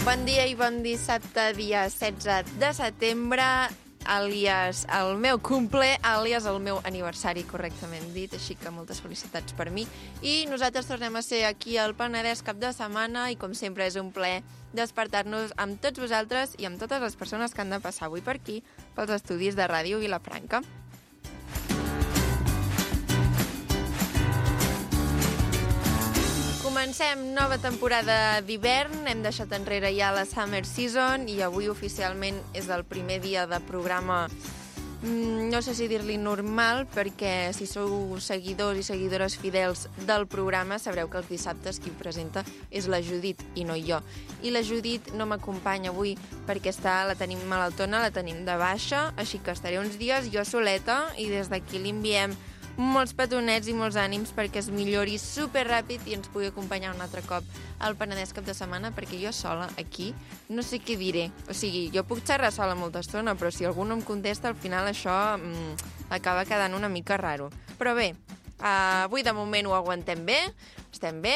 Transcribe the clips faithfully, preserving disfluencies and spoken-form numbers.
Bon dia i bon dissabte, dia setze de setembre, àlies el meu cumple, àlies el meu aniversari, correctament dit, així que moltes felicitats per mi. I nosaltres tornem a ser aquí al Penedès cap de setmana i, com sempre, és un plaer despertar-nos amb tots vosaltres i amb totes les persones que han de passar avui per aquí, pels estudis de Ràdio Vilafranca. Comencem nova temporada d'hivern, hem deixat enrere ja la Summer Season i avui oficialment és el primer dia de programa, no sé si dir-li normal, perquè si sou seguidors i seguidores fidels del programa sabreu que els dissabtes qui ho presenta és la Judit i no jo. I la Judit no m'acompanya avui perquè està, la tenim malaltona, la tenim de baixa, així que estaré uns dies jo soleta i des d'aquí li enviem molts petonets i molts ànims perquè es millori superràpid i ens pugui acompanyar un altre cop al Penedès cap de setmana, perquè jo sola aquí no sé què diré. O sigui, jo puc xerrar sola molta estona, però si algú no em contesta, al final això mmm, acaba quedant una mica raro. Però bé, uh, avui de moment ho aguantem bé, estem bé,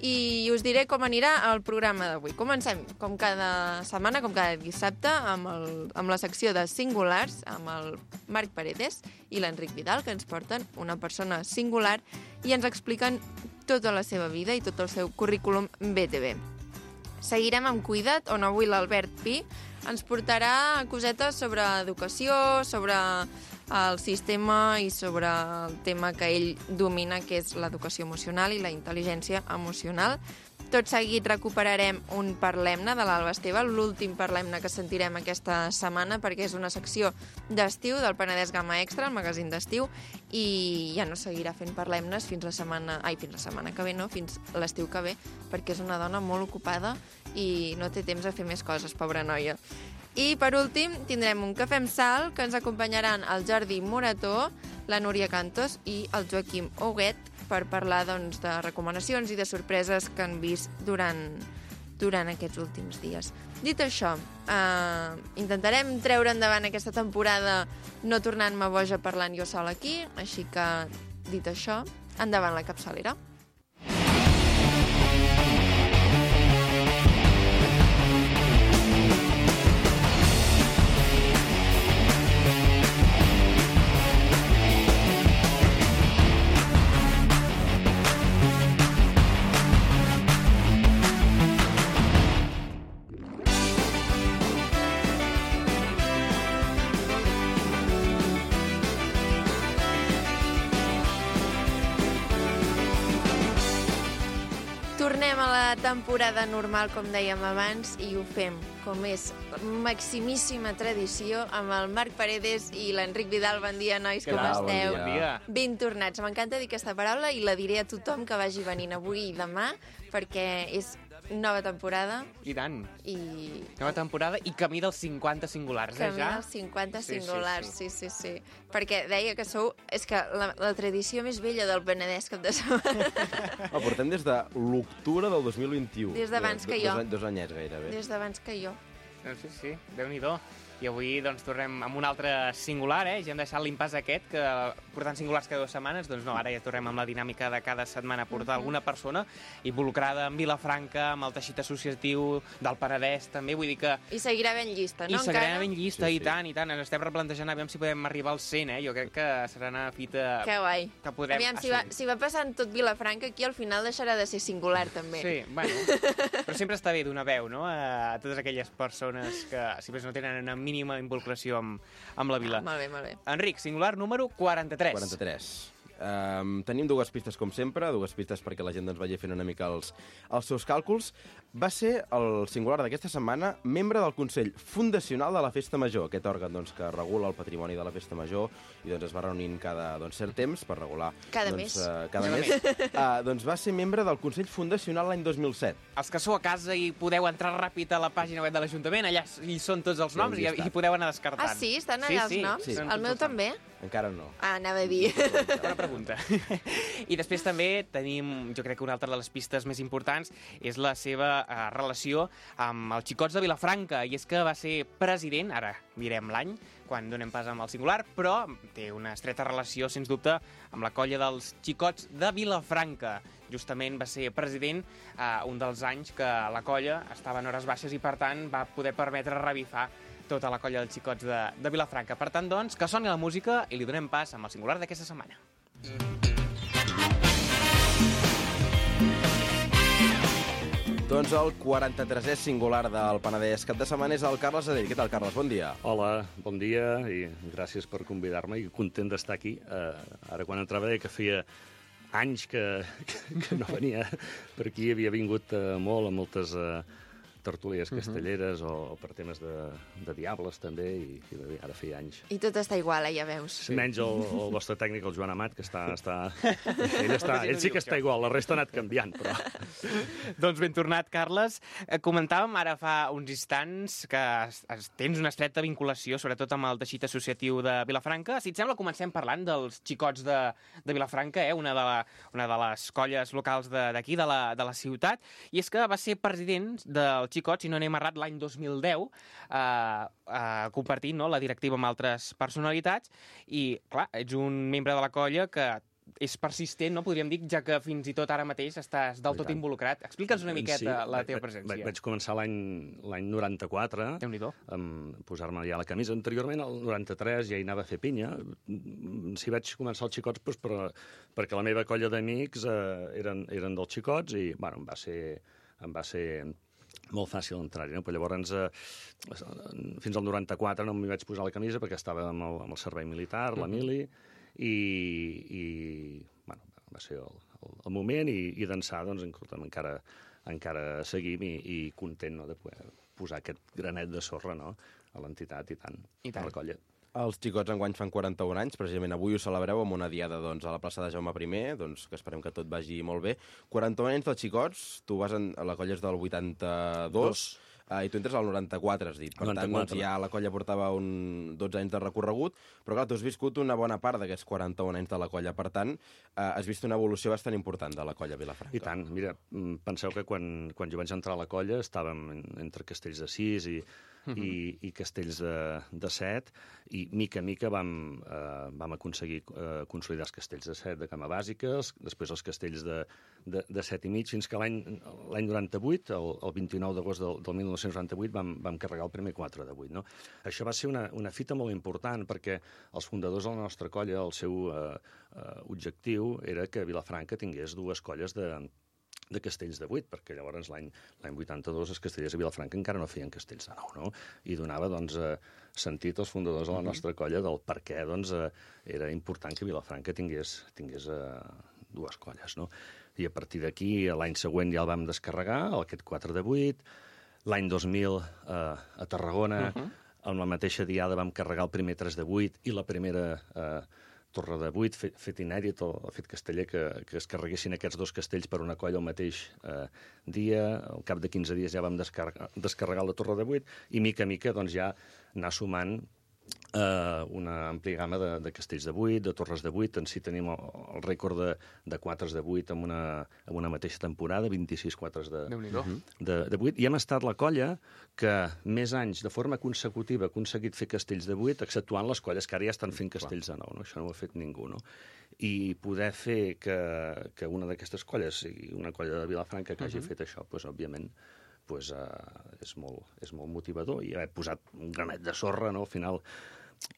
i us diré com anirà el programa d'avui. Comencem, com cada setmana, com cada dissabte, amb, el, amb la secció de singulars, amb el Marc Paredes i l'Enric Vidal, que ens porten una persona singular i ens expliquen tota la seva vida i tot el seu currículum B T V. Seguirem amb Cuida't, on avui l'Albert Pi ens portarà cosetes sobre educació, sobre el sistema i sobre el tema que ell domina, que és l'educació emocional i la intel·ligència emocional. Tot seguit recuperarem un Parlem-ne de l'Alba Esteve, l'últim Parlem-ne que sentirem aquesta setmana, perquè és una secció d'estiu del Penedès Gamma Extra, el magazín d'estiu, i ja no seguirà fent Parlem-nes fins la setmana... Ai, fins la setmana que ve, no? Fins l'estiu que ve, perquè és una dona molt ocupada i no té temps a fer més coses, pobra noia. I, per últim, tindrem un Cafè amb Sal, que ens acompanyaran el Jordi Morató, la Núria Cantos i el Joaquim Huguet, per parlar doncs, de recomanacions i de sorpreses que han vist durant, durant aquests últims dies. Dit això, eh, intentarem treure endavant aquesta temporada no tornant-me boja parlant jo sola aquí, així que, dit això, endavant la capçalera. Tornem a la temporada normal, com dèiem abans, i ho fem, com és maximíssima tradició, amb el Marc Paredes i l'Enric Vidal. Bon dia, nois, com esteu? Bon dia. Ben tornats. M'encanta dir aquesta paraula i la diré a tothom que vagi venint avui i demà, perquè és nova temporada. I tant. I... Nova temporada i camí dels cinquanta singulars, eh, ja? Camí dels cinquanta singulars, sí sí, sí, sí, sí. Perquè deia que sou... És que la, la tradició més vella del Penedès cap de setmana. Oh, portem des de l'octubre del dos mil vint-i-u. Des d'abans que jo. Dos, dos anyets, gairebé. Des d'abans que jo. Doncs sí, sí, Déu-n'hi-do. I avui doncs, tornem amb un altre singular, eh? Ja hem deixat l'impàs aquest, que portant singulars cada dues setmanes, doncs no, ara ja tornem amb la dinàmica de cada setmana portar uh-huh. alguna persona involucrada en Vilafranca, amb el teixit associatiu del Penedès, també, vull dir que... I seguirà ben llista, no? I seguirà encara? ben llista, sí, i tant, i tant. Ens estem replantejant aviam si podem arribar als cent, eh? Jo crec que serà una fita... Que guai. Que podrem aviam, si va, si va passant tot Vilafranca, aquí al final deixarà de ser singular, també. Sí, bueno, però sempre està bé donar veu, no?, a totes aquelles persones que, si més no tenen una mínima involucració amb, amb la vila. Ah, molt bé, molt bé. Enric, singular número quaranta-tres. quaranta-tres. Um, tenim dues pistes, com sempre, dues pistes perquè la gent doncs, vagi fent una mica els, els seus càlculs. Va ser el singular d'aquesta setmana membre del Consell Fundacional de la Festa Major, aquest òrgan doncs, que regula el patrimoni de la Festa Major i doncs, es va reunint cada doncs, cert temps per regular... Cada doncs, mes. Uh, cada mes. Uh, doncs va ser membre del Consell Fundacional l'any dos mil set. Els que sou a casa i podeu entrar ràpid a la pàgina web de l'Ajuntament, allà hi són tots els noms i, i hi podeu anar descartant. Ah, sí? Estan allà sí, els noms? Sí, sí. El meu també? Encara no. Ah, anava a dir. Bona pregunta. pregunta. I després també tenim, jo crec que una altra de les pistes més importants és la seva uh, relació amb els Xicots de Vilafranca, i és que va ser president, ara mirem l'any, quan donem pas amb el singular, però té una estreta relació, sens dubte, amb la colla dels Xicots de Vilafranca. Justament va ser president eh, un dels anys que la colla estava en hores baixes i, per tant, va poder permetre revifar tota la colla dels Xicots de, de Vilafranca. Per tant, doncs, que soni la música i li donem pas amb el singular d'aquesta setmana. Doncs el quaranta-tresè singular del Penedès cap de setmana és el Carles Adell. Què tal, Carles? Bon dia. Hola, bon dia i gràcies per convidar-me i content d'estar aquí. Uh, ara, quan entrava, deia que feia anys que, que, que no venia per aquí. Havia vingut uh, molt a moltes uh, tertúlies castelleres uh -huh. o, o per temes de, de diables, també, i, i ara feia anys. I tot està igual, eh, ja veus. Sí. Menys el, el vostre tècnic, el Joan Amat, que està... està... Ell, està, ell sí que està igual, la resta ha anat canviant, però... Doncs ben tornat, Carles. Eh, comentàvem ara fa uns instants que es, es, tens una estreta vinculació, sobretot amb el teixit associatiu de Vilafranca. Si et sembla, comencem parlant dels Xicots de, de Vilafranca, eh, una, de la, una de les colles locals d'aquí, de, de, la, de la ciutat, i és que va ser president del Xicots, si no anem errat, l'any dos mil deu, eh, eh, compartint, no, la directiva amb altres personalitats, i, clar, ets un membre de la colla que és persistent, no podríem dir, ja que fins i tot ara mateix estàs del tot involucrat. Explica'ns una miqueta sí, la teva presència. Vaig, vaig començar l'any noranta-quatre, amb posar-me ja la camisa. Anteriorment, el noranta-tres, ja hi anava a fer pinya. Si vaig començar els Xicots, doncs, per, perquè la meva colla d'amics eh, eren, eren dels Xicots, i bueno, em va ser... Em va ser molt fàcil entrar-hi, no? Però llavors, eh, fins al noranta-quatre no m'hi vaig posar la camisa perquè estava amb el, amb el servei militar, la mili, i, i bueno, va ser el, el, el moment, i, i d'ençà, doncs, encara, encara seguim i, i content, no?, de poder posar aquest granet de sorra, no?, a l'entitat i tant, I tant. a la colla. Els Xicots enguany fan quaranta-un anys, precisament avui ho celebreu amb una diada doncs, a la plaça de Jaume primer, doncs, que esperem que tot vagi molt bé. quaranta-un anys dels Xicots, tu vas en, a la colla és del vuitanta-dos, uh, i tu entres al noranta-quatre, has dit. Per noranta-quatre. Tant, doncs, ja la colla portava un dotze anys de recorregut, però clar, tu has viscut una bona part d'aquests quaranta-un anys de la colla, per tant, uh, has vist una evolució bastant important de la colla Vilafranca. I tant, mira, penseu que quan, quan jo vaig entrar a la colla estàvem entre castells de sis i Uh -huh. i, i castells de, de set, i mica a mica vam, eh, vam aconseguir eh, consolidar els castells de set de cama bàsiques, després els castells de, de, de set i mig, fins que l'any noranta-vuit, el, el vint-i-nou d'agost del, del mil nou-cents noranta-vuit, vam, vam carregar el primer quatre de vuit. No? Això va ser una, una fita molt important, perquè els fundadors de la nostra colla, el seu eh, eh, objectiu era que Vilafranca tingués dues colles de de castells de vuit, perquè llavors l'any vuitanta-dos els castellers de Vilafranca encara no feien castells de nou, no? I donava, doncs, eh, sentit als fundadors de la nostra colla del per què, doncs, eh, era important que Vilafranca tingués, tingués eh, dues colles, no? I a partir d'aquí, l'any següent ja el vam descarregar, aquest quatre de vuit, l'any dos mil eh, a Tarragona, uh -huh. amb la mateixa diada vam carregar el primer tres de vuit i la primera... Eh, Torre de vuit, fet, fet inèdit, el, el fet casteller, que, que es carreguessin aquests dos castells per una colla al mateix eh, dia. Al cap de quinze dies ja vam descarregar, descarregar la Torre de vuit, i mica a mica doncs, ja anar sumant eh, una àmplia gamma de, de castells de vuit, de torres de vuit. En si tenim el, el rècord de, de quatres de vuit en una, en una mateixa temporada, vint-i-sis quatres de, de, de vuit. I hem estat la colla que més anys de forma consecutiva ha aconseguit fer castells de vuit, exceptuant les colles que ara ja estan fent castells de nou, no? Això no ho ha fet ningú, no? I poder fer que, que una d'aquestes colles sigui una colla de Vilafranca que hagi uh -huh. fet això, doncs, òbviament, pues, uh, és, molt, és molt motivador. I haver posat un granet de sorra, no? Al final,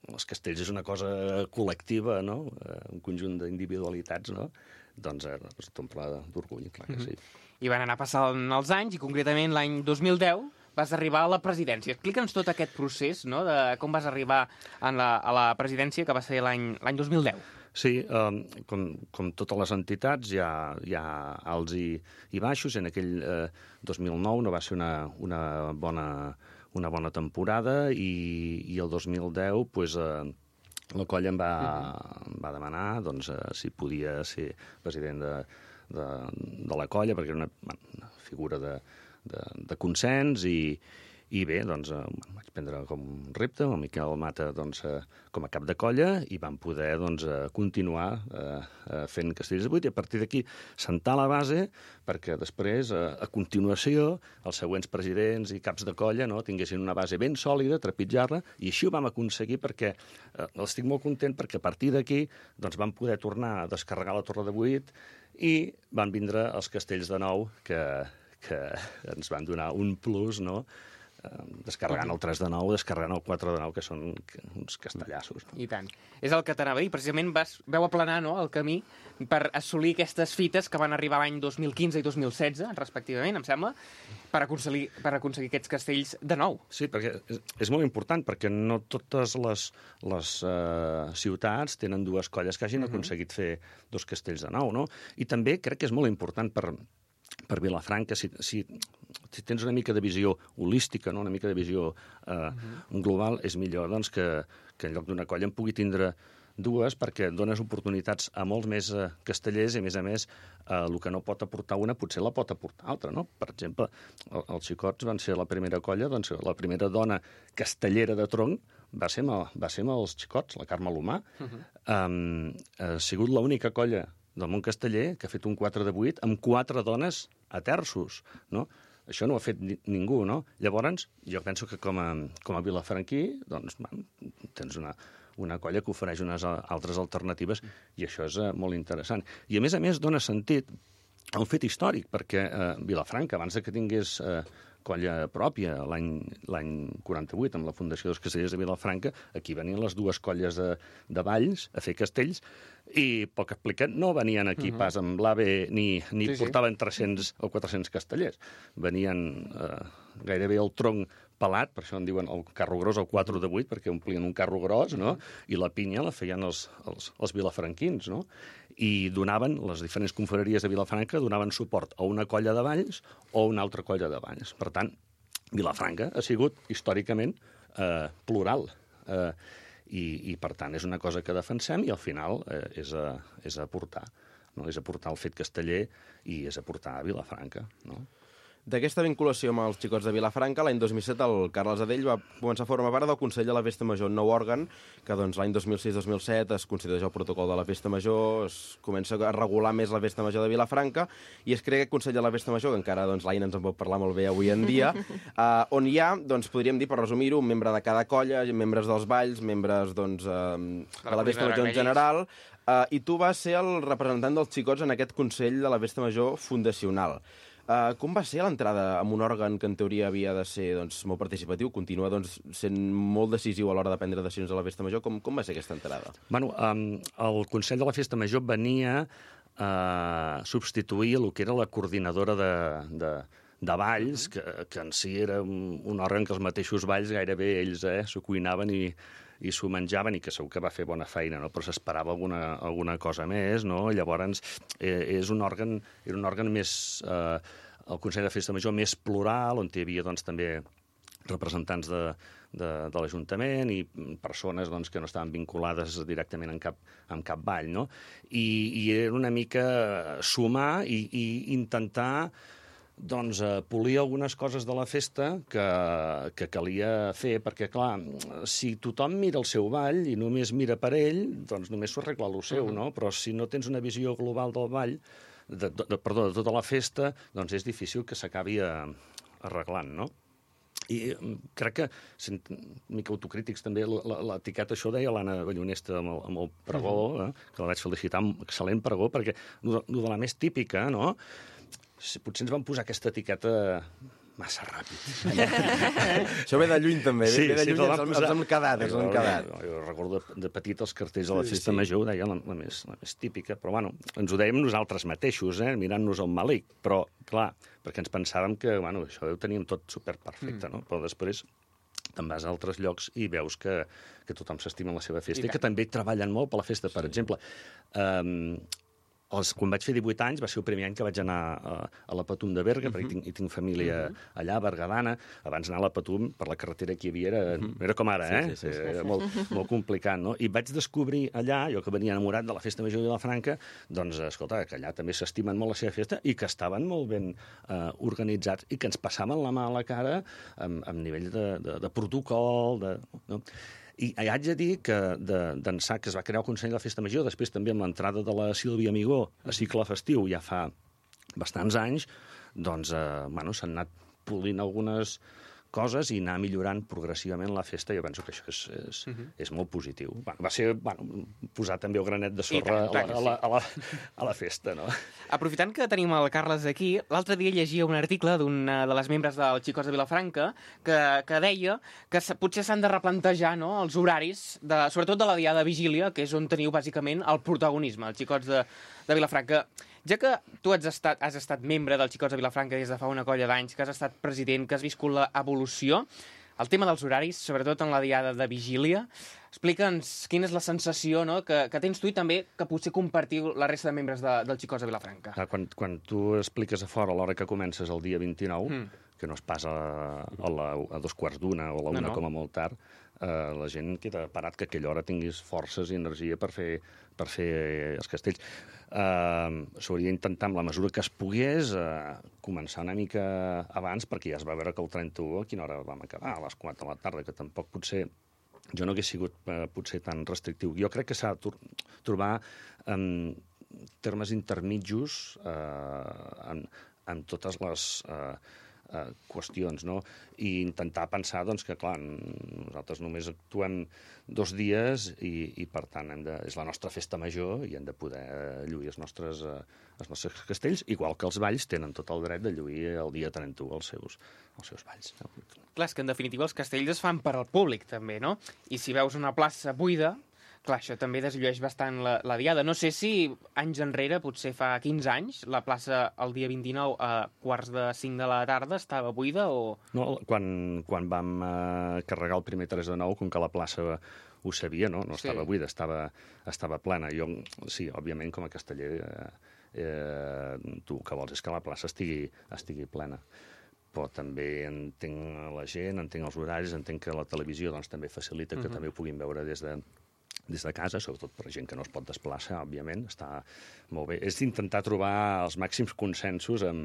els castells és una cosa col·lectiva, no? Uh, un conjunt d'individualitats, no? Doncs eh, t'omple d'orgull, clar que sí. Uh -huh. I van anar passant els anys, i concretament l'any dos mil deu vas arribar a la presidència. Explica'ns tot aquest procés, no?, de com vas arribar en la, a la presidència, que va ser l'any dos mil deu. Sí, um, com, com totes les entitats, hi ha, hi ha alts i, i baixos. En aquell eh, dos mil nou no va ser una, una, bona, una bona temporada, i, i el dos mil deu pues, eh, la colla em va, em va demanar doncs, eh, si podia ser president de, de, de la colla, perquè era una, una figura de, de, de consens, i, I bé, doncs, eh, vaig prendre com un repte, el Miquel Mata doncs, eh, com a cap de colla, i vam poder doncs, eh, continuar eh, eh, fent Castellers de vuit, i a partir d'aquí sentar la base perquè després, eh, a continuació, els següents presidents i caps de colla no, tinguessin una base ben sòlida, trepitjar-la, i així ho vam aconseguir perquè eh, estic molt content perquè a partir d'aquí doncs, vam poder tornar a descarregar la Torre de vuit i van vindre els castells de nou que, que ens van donar un plus, no?, descarregant el tres de nou, descarregant el quatre de nou, que són uns castellassos. I tant. És el que t'anava a dir. Precisament vas, veu aplanar no, el camí per assolir aquestes fites que van arribar l'any dos mil quinze i dos mil setze, respectivament, em sembla, per aconseguir, per aconseguir aquests castells de nou. Sí, perquè és, és molt important, perquè no totes les, les uh, ciutats tenen dues colles que hagin uh-huh. aconseguit fer dos castells de nou, no? I també crec que és molt important per... per Vilafranca, si, si, si tens una mica de visió holística, no? Una mica de visió eh, uh-huh. global, és millor doncs, que, que en lloc d'una colla en pugui tindre dues, perquè dones oportunitats a molts més eh, castellers i, a més a més, eh, el que no pot aportar una potser la pot aportar altra, no? Per exemple, el, els Xicots van ser la primera colla, doncs la primera dona castellera de tronc va ser amb, va ser amb els Xicots, la Carme Lomà. Uh-huh. Um, ha sigut l'única colla del món casteller, que ha fet un quatre de vuit amb quatre dones a terços, no? Això no ho ha fet ni, ningú, no? Llavors, jo penso que com a, com a vilafranquí, doncs, man, tens una, una colla que ofereix unes altres alternatives i això és uh, molt interessant. I, a més a més, dona sentit a un fet històric, perquè uh, Vilafranca, abans que tingués uh, colla pròpia l'any quaranta-vuit, amb la Fundació dels Castellers de Vilafranca, aquí venien les dues colles de, de Valls a fer castells, i, pel que expliquen, no venien aquí uh-huh. pas amb l'AVE ni, ni sí, portaven sí. tres-cents o quatre-cents castellers. Venien eh, gairebé el tronc pelat, per això en diuen el carro gros, el quatre de vuit, perquè omplien un carro gros, no? I la pinya la feien els, els, els vilafranquins, no? I donaven, les diferents confraries de Vilafranca donaven suport a una colla de Valls o a una altra colla de Valls. Per tant, Vilafranca ha sigut històricament eh, plural. Eh, i, I, per tant, és una cosa que defensem i, al final, eh, és, a, és a aportar. No? És aportar el fet casteller i és aportar a Vilafranca, no? D'aquesta vinculació amb els Xicots de Vilafranca, l'any dos mil set el Carles Adell va començar a formar part del Consell de la Festa Major, un nou òrgan que doncs, l'any dos mil sis dos mil set es constitueix el protocol de la Festa Major, es comença a regular més la Festa Major de Vilafranca i es crea aquest Consell de la Festa Major, que encara doncs, l'Aina ens en pot parlar molt bé avui en dia, uh, on hi ha, doncs, podríem dir, per resumir-ho, un membre de cada colla, membres dels balls, membres doncs, uh, de la Festa Major en general, uh, i tu vas ser el representant dels Xicots en aquest Consell de la Festa Major fundacional. Uh, com va ser l'entrada amb un òrgan que en teoria havia de ser doncs, molt participatiu, continua doncs, sent molt decisiu a l'hora de prendre decisions a la Festa Major? Com, com va ser aquesta entrada? Bueno, um, el Consell de la Festa Major venia a substituir el que era la coordinadora de, de, de balls, que, que en si era un, un òrgan que els mateixos balls gairebé ells eh, s'ho cuinaven i i s'ho menjaven, i que segur que va fer bona feina, no? Però s'esperava alguna, alguna cosa més, no? Llavors, eh, és un òrgan, era un òrgan més... Eh, el Consell de Festa Major més plural, on hi havia doncs, també representants de, de, de l'Ajuntament i persones doncs, que no estaven vinculades directament en cap, en cap ball, no? I, i era una mica sumar i, i intentar doncs, eh, polir algunes coses de la festa que, que calia fer, perquè, clar, si tothom mira el seu ball i només mira per ell, doncs només s'ho arregla el seu, uh-huh. no? Però si no tens una visió global del ball, de, de, de, perdó, de tota la festa, doncs és difícil que s'acabi arreglant, no? I crec que, sent mica autocrítics també, l'etiqueta, això deia l'Anna Ballonesta amb el, amb el pregó, eh, que la vaig felicitar, amb excel·lent pregó, perquè el de la més típica, no?, potser ens van posar aquesta etiqueta massa ràpid. Això ve de lluny, també. Sí, ve de lluny, sí, ens, posar... ens hem quedat, ens hem quedat. Jo, jo recordo de, de petit els cartells de la Festa sí, sí. Major, ho deia la, la, més, la més típica, però bueno, ens ho dèiem nosaltres mateixos, eh, mirant-nos el malic, però, clar, perquè ens pensàvem que, bueno, això ho teníem tot superperfecte, mm. no? Però després te'n vas a altres llocs i veus que, que tothom s'estima la seva festa i, i que també treballen molt per la festa. Per exemple, um, els, quan vaig fer divuit anys va ser el primer any que vaig anar a, a la Patum de Berga, uh -huh. perquè tinc, hi tinc família uh -huh. allà, a Bergadana. Abans anar a la Patum, per la carretera que hi havia, era, uh -huh. era com ara, eh? Sí, sí, sí, sí. Era molt, molt complicat, no? I vaig descobrir allà, jo que venia enamorat de la Festa Major de Vilafranca, doncs, escolta, que allà també s'estimen molt la seva festa i que estaven molt ben eh, organitzats i que ens passaven la mà a la cara amb, amb nivell de, de, de protocol, de... No? I haig de dir que d'ençà que es va crear el Consell de la Festa Major, després també amb l'entrada de la Sílvia Amigó a cicle festiu ja fa bastants anys, doncs, eh, bueno, s'han anat polint algunes coses i anar millorant progressivament la festa. Jo penso que això és, és, uh -huh. és molt positiu. Bueno, va ser bueno, posar també el granet de sorra tant, a, la, a, la, a, la, a la festa, no? Aprofitant que tenim el Carles aquí, l'altre dia llegia un article d'una de les membres dels Xicots de Vilafranca que, que deia que potser s'han de replantejar, no?, els horaris, de, sobretot de la Diada de Vigília, que és on teniu bàsicament el protagonisme, els Xicots de, de Vilafranca. Ja que tu has estat, has estat membre dels Xicots de Vilafranca des de fa una colla d'anys, que has estat president, que has viscut l'evolució, el tema dels horaris, sobretot en la Diada de Vigília, explica'ns quina és la sensació, no?, que, que tens tu i també que potser compartiu la resta de membres de, dels Xicots de Vilafranca. Quan, quan tu expliques a fora a l'hora que comences el dia vint-i-nou, mm. que no es passa a, a, la, a dos quarts d'una o a la una no, no. com a molt tard, eh, la gent queda parat que a aquella hora tinguis forces i energia per fer, per fer els castells. Uh, s'hauria d'intentar, amb la mesura que es pogués, uh, començar una mica abans, perquè ja es va veure que el trenta-u, a quina hora vam acabar, a les quatre de la tarda, que tampoc potser... Jo no hagués sigut uh, potser tan restrictiu. Jo crec que s'ha de trobar um, termes intermitjos uh, en, en totes les... Uh, Uh, qüestions, no? I intentar pensar, doncs, que, clar, nosaltres només actuem dos dies i, i per tant, hem de, és la nostra festa major i hem de poder lluir els nostres, uh, els nostres castells, igual que els balls tenen tot el dret de lluir el dia trenta-u els seus, els seus balls. No? Clar, és que en definitiva els castells es fan per al públic, també, no? I si veus una plaça buida, clar, això també desllueix bastant la, la diada. No sé si anys enrere, potser fa quinze anys, la plaça el dia vint-i-nou a quarts de cinc de la tarda estava buida o... No, quan, quan vam uh, carregar el primer tres de nou, com que la plaça ho sabia, no? No estava sí. buida, estava, estava plena. Jo, sí, òbviament, com a casteller, eh, eh, tu el que vols és que la plaça estigui, estigui plena. Però també entenc la gent, entenc els horaris, entenc que la televisió doncs, també facilita que uh-huh. també ho puguin veure des de... des de casa, sobretot per gent que no es pot desplaçar, òbviament, està molt bé. És intentar trobar els màxims consensos amb,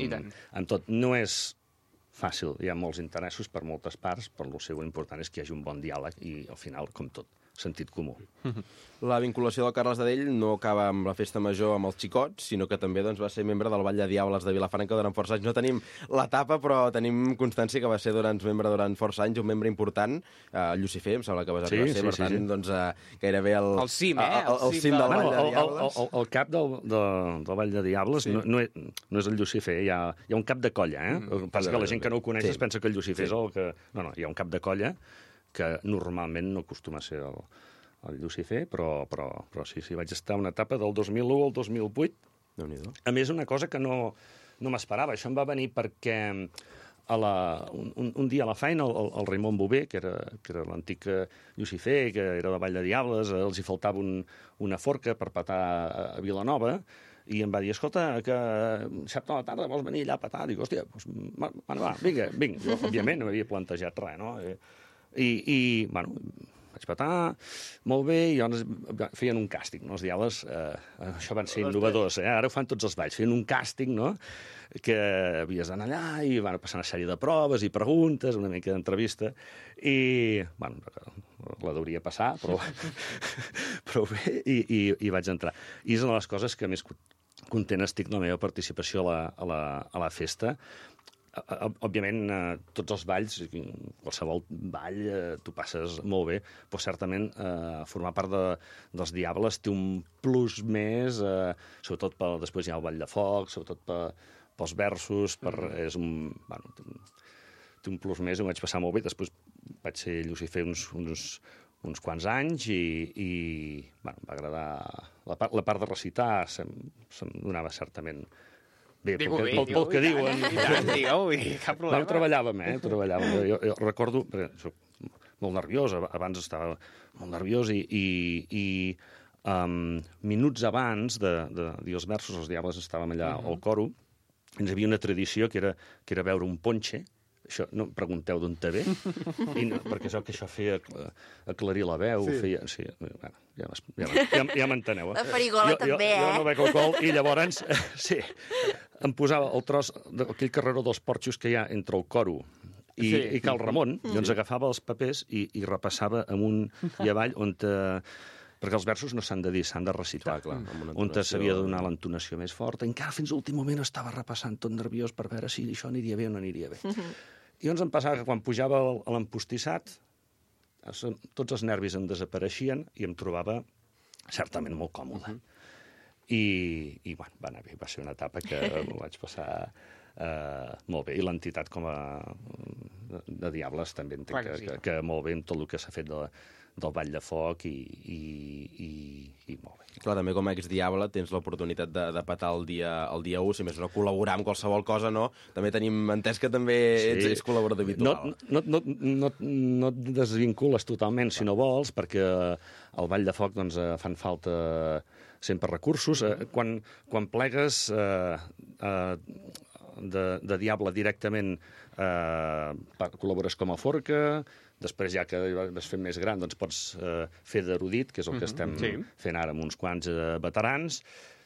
amb tot. No és fàcil, hi ha molts interessos per moltes parts, però el seu important és que hi hagi un bon diàleg i, al final, com tot, sentit comú. La vinculació del Carles d'Adell no acaba amb la festa major amb els Xicots, sinó que també doncs, va ser membre del Ball de Diables de Vilafranca durant força anys. No tenim l'etapa, però tenim constància que va ser durant, membre durant força anys, un membre important, uh, Llucifer, em sembla que va ser, sí, sí, per sí, tant, sí. doncs, uh, gairebé el... El cim, eh? El, el, el cim del Ball de Diables. El, el, el cap del, de, del Ball de Diables sí. no, no, és, no és el Llucifer, hi ha, hi ha un cap de colla, eh? Mm, el que passa que la gent que no ho coneix sí. es pensa que el Llucifer sí. és el que... No, no, hi ha un cap de colla que normalment no acostuma a ser el... el Llucifer, però, però, però sí, sí, vaig estar una etapa del dos mil u al dos mil vuit. Déu-n'hi-do. A més, una cosa que no, no m'esperava. Això em va venir perquè a la, un, un dia a la feina el, el Raimon Bové, que era, que era l'antic Llucifer, que era de Vall de Diables, els hi faltava un, una forca per petar a Vilanova, i em va dir, escolta, que dissabte a la tarda vols venir allà a petar? Dic, hòstia, doncs, va, va, vinga, vinga. Jo, òbviament, no m'havia plantejat res, no? I, i bueno... vaig petar, molt bé, i llavors feien un càsting, no? Els Diables, eh, això van ser innovadors, eh? Ara ho fan tots els balls, feien un càsting, no?, que havies d'anar allà i van passar una sèrie de proves i preguntes, una mica d'entrevista, i, bueno, la hauria passar, però, però bé, i, i, i vaig entrar. I és una de les coses que més content estic de la meva participació a la, a la, a la festa. Òbviament, eh, tots els balls, qualsevol ball, eh, tu passes molt bé, però certament eh, formar part de, dels Diables té un plus més, eh, sobretot per, després hi ha el Ball de Foc, sobretot per, pels versos, per, és un, bueno, té, un, té un plus més, ho vaig passar molt bé, després vaig ser Llucifer uns, uns, uns quants anys i, i bueno, em va agradar la part, la part de recitar, se'm, se'm donava certament bé, pel, bé, pel, pel que diuen. I tant, digueu, cap problema. No, ho treballàvem, eh? Ho treballàvem. Jo, jo recordo, perquè soc molt nerviós, abans estava molt nerviós, i, i, i um, minuts abans de, de dir els versos, els diables estàvem allà uh -huh. al coro, ens hi havia una tradició que era, que era veure un ponche. Això, no em pregunteu d'on te ve, I no, perquè això que això feia aclarir la veu, sí. feia... Sí, bueno, ja ja, ja, ja m'enteneu. Eh? La farigola jo, també, jo, eh? Jo no bec alcohol i llavors, sí, em posava el tros d'aquell carreró dels porxos que hi ha entre el coro i, sí. i Cal Ramon, mm. i ens agafava els papers i, i repassava amunt i avall on te... perquè els versos no s'han de dir, s'han de recitar. Clar, clar, on s'havia de donar l'entonació més forta. Encara fins a l'últim moment estava repassant tot nerviós per veure si això aniria bé o no aniria bé. I llavors em passava que quan pujava a l'empostissat, tots els nervis em desapareixien i em trobava certament molt còmode. Uh -huh. I, i bueno, va anar bé, va ser una etapa que m'ho vaig passar uh, molt bé. I l'entitat com a de, de Diables també entenc que, que, sí. que, que molt bé amb tot el que s'ha fet de la, del Ball de Foc i, i, i, i molt bé. Clar, també com a ex-diable tens l'oportunitat de, de petar el dia, el dia u, si més no col·laborar amb qualsevol cosa, no? També tenim entès que també sí. ets, ets col·laborador habitual. No, no, no, no, no et desvincules totalment, si no vols, perquè al Ball de Foc doncs, fan falta sempre recursos. Quan, quan plegues eh, eh, de, de diable directament, eh, col·labores com a forca. Després, ja que vas fent més gran, doncs pots eh, fer d'erudit, que és el que estem mm-hmm. sí. fent ara amb uns quants eh, veterans.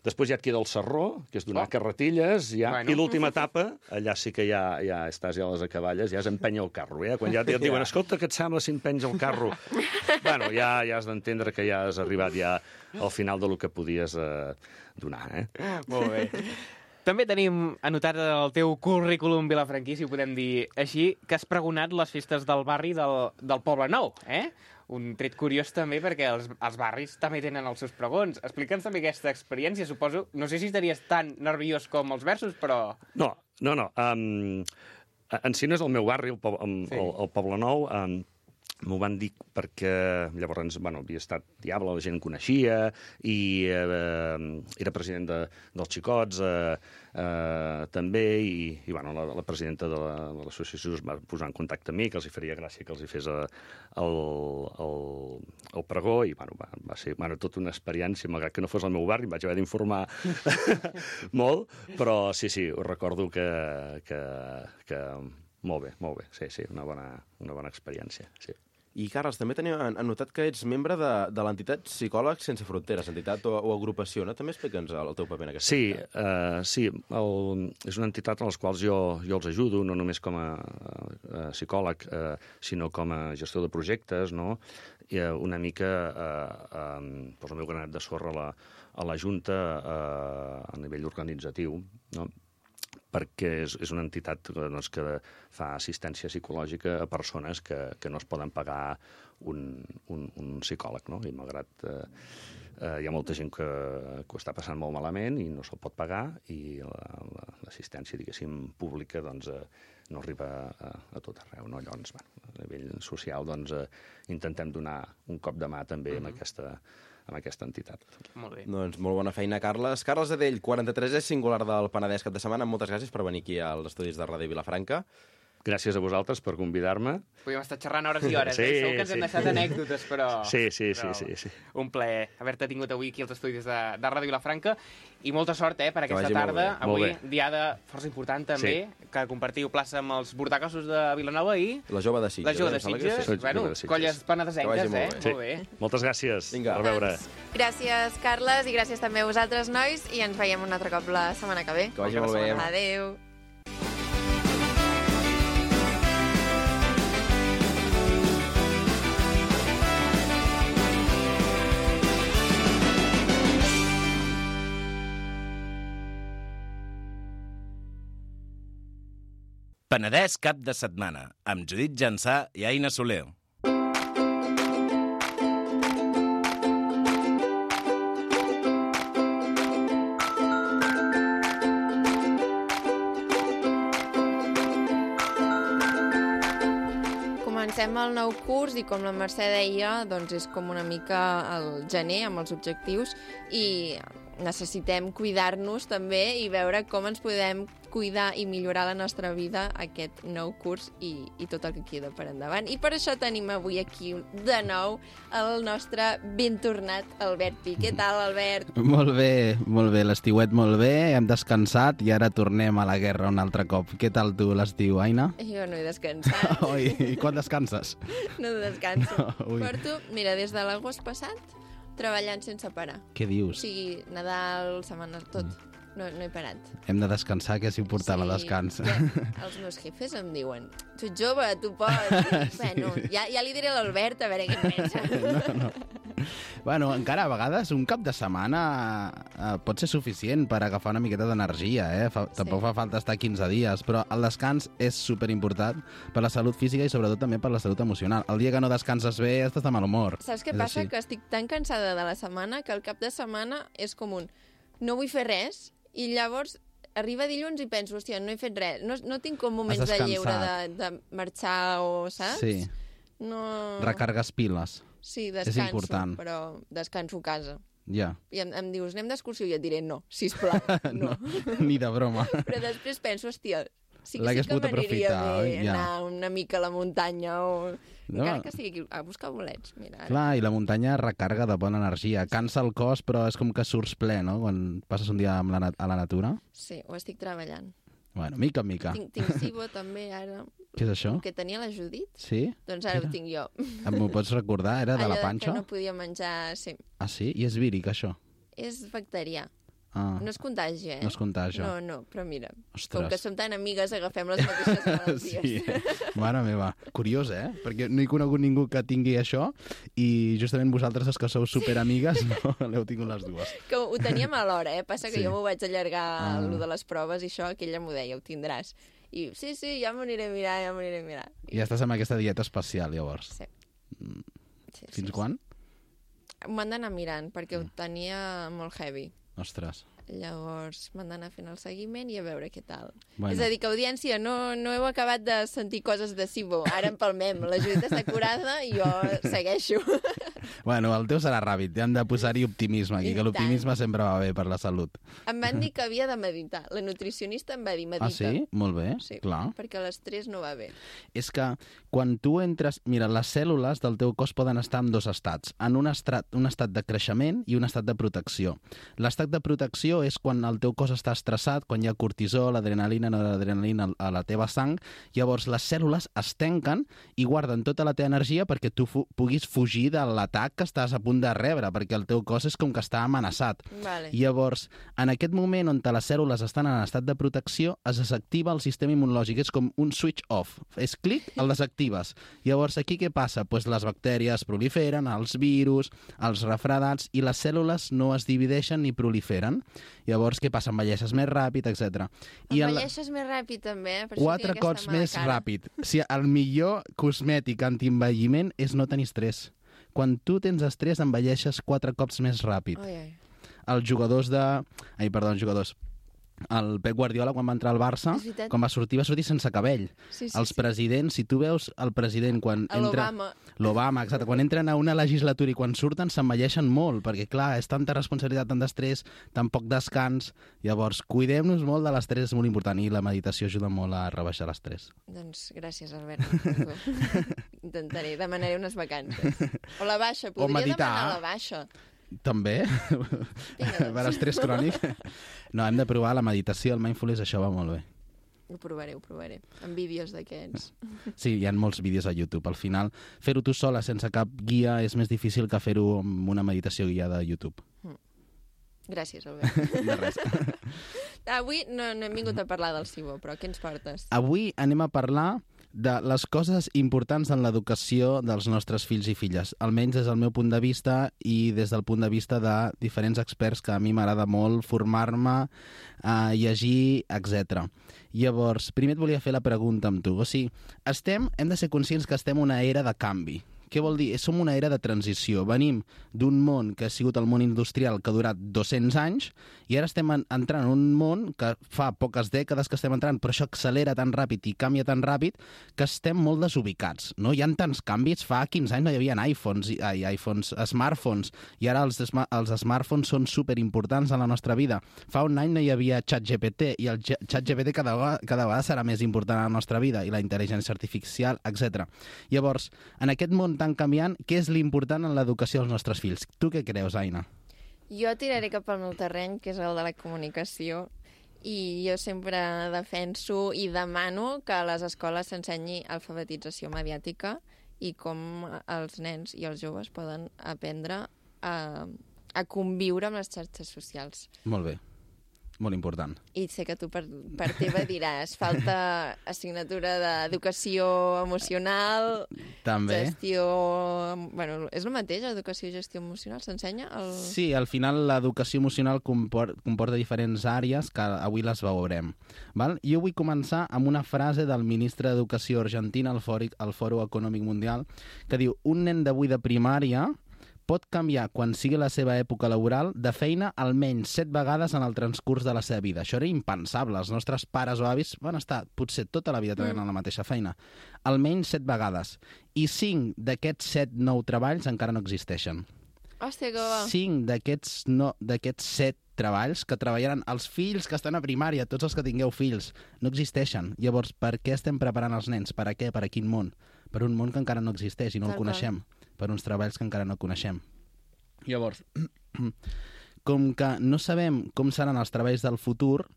Després ja et queda el sarró, que és donar oh. carretilles, ja. Bueno. I l'última etapa, allà sí que ja, ja estàs ja a les acaballes, ja és empènyer el carro. Eh? Quan ja et diuen, escolta, què et sembla si empenys el carro? bueno, ja, ja has d'entendre que ja has arribat ja al final del que podies eh, donar. Eh? Molt bé. També tenim anotat el teu currículum vilafranquí, si ho podem dir així, que has pregonat les festes del barri del, del Poble Nou, eh? Un tret curiós també, perquè els, els barris també tenen els seus pregons. Explica'ns també aquesta experiència, suposo. No sé si estaries tan nerviós com els versos, però... No, no, no. Um, en si no és el meu barri, el, el, sí. el, el Poble Nou. Um, M'ho van dir perquè llavors bueno, havia estat diable, la gent coneixia, i eh, era president de, dels Xicots eh, eh, també, i, i bueno, la, la presidenta de l'associació es va posar en contacte amb mi, que els hi faria gràcia que els hi fes el, el, el pregó, i bueno, va, va ser bueno, tota una experiència, malgrat que no fos el meu barri, em vaig haver d'informar molt, però sí, sí, ho recordo que... que, que molt bé, molt bé, sí, sí, una bona, una bona experiència, sí. I, Carles, també teniu anotat que ets membre de, de l'entitat Psicòlegs Sense Fronteres, entitat o, o agrupació, no? També explica'ns el teu paper en aquesta sí, entitat. Uh, sí, el, és una entitat a les quals jo, jo els ajudo, no només com a, a psicòleg, uh, sinó com a gestor de projectes, no? I, uh, una mica uh, um, poso el meu granet de sorra a la, a la Junta uh, a nivell organitzatiu, no? Perquè és, és una entitat doncs, que fa assistència psicològica a persones que, que no es poden pagar un, un, un psicòleg, no? I malgrat eh, eh, hi ha molta gent que, que ho està passant molt malament i no se'l pot pagar, i l'assistència, la, diguéssim, pública doncs, eh, no arriba a, a tot arreu, no? Llavors, bueno, a nivell social, doncs, eh, intentem donar un cop de mà també mm-hmm. amb aquesta amb aquesta entitat. Molt bé. Doncs molt bona feina, Carles. Carles Adell, quaranta-tres és singular del Penedès cap de setmana. Moltes gràcies per venir aquí als estudis de Ràdio Vilafranca. Gràcies a vosaltres per convidar-me. Podríem estar xerrant hores i hores, sí, eh? Segur que ens sí. hem deixat anècdotes, però... Sí, sí, però sí, sí, sí. Un plaer haver-te tingut avui aquí als estudis de, de Ràdio Vilafranca, i molta sort, eh, per que aquesta tarda. Avui, diada força important, també, sí. que compartiu plaça amb els Bordacassos de Vilanova i... La Jove de Sitges. La Jove de Sitges. Sí. Bueno, de Sitges. colles penedesenques, eh? Molt bé. Molt bé. Sí. Moltes gràcies. Vinga. A veure. Gràcies, Carles, i gràcies també a vosaltres, nois, i ens veiem un altre cop la setmana que ve. Que vagi molt bé. Adéu. Penedès cap de setmana, amb Judit Jansà i Aina Soler. Comencem el nou curs i, com la Mercè deia, doncs és com una mica el gener amb els objectius, i necessitem cuidar-nos també i veure com ens podem cuidar i millorar la nostra vida aquest nou curs i, i tot el que queda per endavant. I per això tenim avui aquí de nou el nostre ben tornat Albert Pi. Què tal, Albert? Molt bé, molt bé. L'estiuet molt bé, hem descansat i ara tornem a la guerra un altre cop. Què tal tu l'estiu, Aina? Jo no he descansat. Oi, i quan descanses? No descanso. Ui. Porto, mira, des de l'agost passat, treballant sense parar. Què O dius? sigui, Nadal, setmana, tot. No, no he parat. Hem de descansar, que és important, el descans. Ja, els meus jefes em diuen, tu ets jove, tu pots. I, bueno, ja, ja li diré a l'Albert a veure què en pensa. No, no. Bueno, encara a vegades un cap de setmana eh, pot ser suficient per agafar una miqueta d'energia, eh? Fa, Sí. Tampoc fa falta estar quinze dies, però el descans és superimportant per la salut física i sobretot també per la salut emocional. El dia que no descanses bé estàs de mal humor. Saps què És passa? així. Que estic tan cansada de la setmana que el cap de setmana és com un no vull fer res i llavors arriba dilluns i penso, hòstia, no he fet res. No, no tinc com moments de lleure de, de marxar o, saps? Sí, No... recargues piles. Sí, descanso, important. però descanso a casa. Ja, I em, em dius, anem d'excursió? I et diré, no, sisplau, no. ni de broma. Però després penso, hòstia, sí que, L'hagués sí que pogut m'aniria aprofitar, bé oi? Ja. anar una mica a la muntanya o... No. Encara que sigui aquí, a buscar bolets, mira. Ara. Clar, i la muntanya recarga de bona energia. Cansa el cos, però és com que surts ple, no?, quan passes un dia amb la nat- a la natura. Sí, ho estic treballant. Bueno, mica en mica. Tinc, tinc SIBO també, ara. Què és això? Que tenia la Judit, Sí? doncs ara Era? ho tinc jo. M'ho pots recordar? Era de Allò la panxa? que no podia menjar... Sí, Ah, sí? I és víric, això? és bacterià. Ah, No es contagia, eh? no es contagia. No, no, però mira, Ostres. com que som tan amigues, agafem les mateixes malalties. Sí, mare meva. Curiós, eh? Perquè no he conegut ningú que tingui això i justament vosaltres, els que sou superamigues, no l'heu tingut les dues. Que ho teníem alhora, eh? Passa que Sí. jo m'ho vaig allargar Ah. ah. de les proves i això, que ella m'ho deia, ho tindràs. I sí, sí, ja m'ho aniré a mirar, ja m'ho aniré a mirar. I ja estàs amb aquesta dieta especial, llavors. Sí. sí Fins sí, quan? Sí. M'ho han d'anar mirant, perquè ho tenia molt heavy. Ostres. Llavors m'han d'anar fent el seguiment i a veure què tal. Bueno. És a dir, que audiència, no, no heu acabat de sentir coses de SIBO. Ara empalmem, la Judit està curada i jo segueixo. Bueno, el teu serà ràpid. Hem de posar-hi optimisme aquí, I que l'optimisme tant. sempre va bé per la salut. Em van dir que havia de meditar. La nutricionista em va dir, medita. Ah, sí? Molt bé, Sí, clar. perquè l'estrès no va bé. És que quan tu entres... Mira, les cèl·lules del teu cos poden estar en dos estats. En un estat, un estat de creixement i un estat de protecció. L'estat de protecció és quan el teu cos està estressat, quan hi ha cortisol, adrenalina, noradrenalina a la teva sang, llavors les cèl·lules es tanquen i guarden tota la teva energia perquè tu fu puguis fugir de l'atac que estàs a punt de rebre, perquè el teu cos és com que està amenaçat. Vale. Llavors, en aquest moment on les cèl·lules estan en estat de protecció, es desactiva el sistema immunològic. És com un switch off. És clic, el desactives. Llavors, aquí què passa? Pues les bactèries proliferen, els virus, els refredats, i les cèl·lules no es divideixen ni proliferen. Llavors, què passa? Envelleixes més ràpid, etcètera. I en la- Envelleixes més ràpid, també, eh? Per això Quatre tinc aquesta cops mala més cara. ràpid. O sigui, el millor cosmètic antienvelliment és no tenir estrès. Quan tu tens estrès, envelleixes quatre cops més ràpid. Ai, ai. Els jugadors de... Ai, perdó, els jugadors. El Pep Guardiola, quan va entrar al Barça, És veritat. quan va sortir, va sortir sense cabell. Sí, sí, Els sí. presidents, si tu veus el president quan A entra... l'Obama. L'Obama, exacte. Quan entren a una legislatura i quan surten s'envelleixen molt, perquè, clar, és tanta responsabilitat, tant d'estrès, tan poc descans. Llavors, cuidem-nos molt de l'estrès, és molt important, i la meditació ajuda molt a rebaixar l'estrès. Doncs gràcies, Albert. Intentaré, demanaré unes vacances. O la baixa, podria meditar. demanar la baixa. També, Vinga, per estrès crònic. No, hem de provar la meditació, el mindfulness, això va molt bé. Ho provaré, ho provaré. Amb vídeos d'aquests. Sí, hi ha molts vídeos a YouTube. Al final, fer-ho tu sola, sense cap guia, és més difícil que fer-ho amb una meditació guiada a YouTube. Gràcies, Albert. De res. Avui no, no hem vingut a parlar del SIBO, però què ens portes? Avui anem a parlar de les coses importants en l'educació dels nostres fills i filles, almenys des del meu punt de vista i des del punt de vista de diferents experts que a mi m'agrada molt formar-me, eh, llegir, etcètera. Llavors, primer et volia fer la pregunta amb tu. O sigui, estem, hem de ser conscients que estem en una era de canvi, Què vol dir? Som una era de transició. Venim d'un món que ha sigut el món industrial que ha durat dos-cents anys i ara estem entrant en un món que fa poques dècades que estem entrant, però això accelera tan ràpid i canvia tan ràpid que estem molt desubicats. No? Hi ha tants canvis. Fa quinze anys no hi havia iPhones, ai, iPhones, smartphones, i ara els, els smartphones són superimportants en la nostra vida. Fa un any no hi havia ChatGPT i el ChatGPT cada, cada vegada serà més important a la nostra vida, i la intel·ligència artificial, etcètera. Llavors, en aquest món tan canviant, què és l'important en l'educació dels nostres fills? Tu què creus, Aina? Jo tiraré cap al meu terreny, que és el de la comunicació, i jo sempre defenso i demano que a les escoles s'ensenyi alfabetització mediàtica i com els nens i els joves poden aprendre a, a conviure amb les xarxes socials. Molt bé. Molt important. I sé que tu per, per teva diràs, falta assignatura d'educació emocional, també. Gestió... Bueno, és el mateix, educació i gestió emocional? S'ensenya? El... Sí, al final l'educació emocional compor comporta diferents àrees que avui les veurem. Val? Jo vull començar amb una frase del ministre d'Educació argentina al Fòrum, al Fòrum Econòmic Mundial, que diu: un nen d'avui de primària pot canviar, quan sigui la seva època laboral, de feina almenys set vegades en el transcurs de la seva vida. Això era impensable. Els nostres pares o avis van estar potser tota la vida treballant mm. en la mateixa feina. Almenys set vegades. I cinc d'aquests set nou treballs encara no existeixen. Hòstia, que va. Cinc d'aquests no, d'aquests set treballs que treballaran els fills que estan a primària, tots els que tingueu fills, no existeixen. Llavors, per què estem preparant els nens? Per a què? Per a quin món? Per un món que encara no existeix i no Tal el coneixem. Qual. Per uns treballs que encara no coneixem. Llavors, com que no sabem com seran els treballs del futur,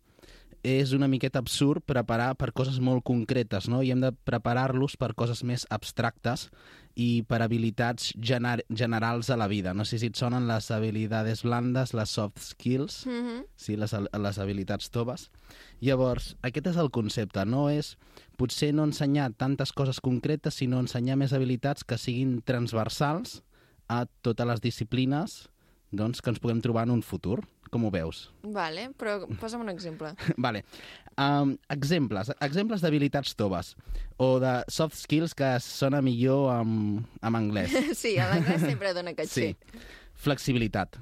és una miqueta absurd preparar per coses molt concretes, no? I hem de preparar-los per coses més abstractes i per habilitats gener generals a la vida. No sé si et sonen les habilitats blandes, les soft skills, mm-hmm. sí, les, les habilitats toves. Llavors, aquest és el concepte, no és potser no ensenyar tantes coses concretes, sinó ensenyar més habilitats que siguin transversals a totes les disciplines, doncs, que ens puguem trobar en un futur. Com ho veus? Vale, però posa'm un exemple. Vale. Um, exemples. Exemples d'habilitats toves o de soft skills que sona millor en, en anglès. Sí, a l'anglès sempre dona caché. Sí. Flexibilitat.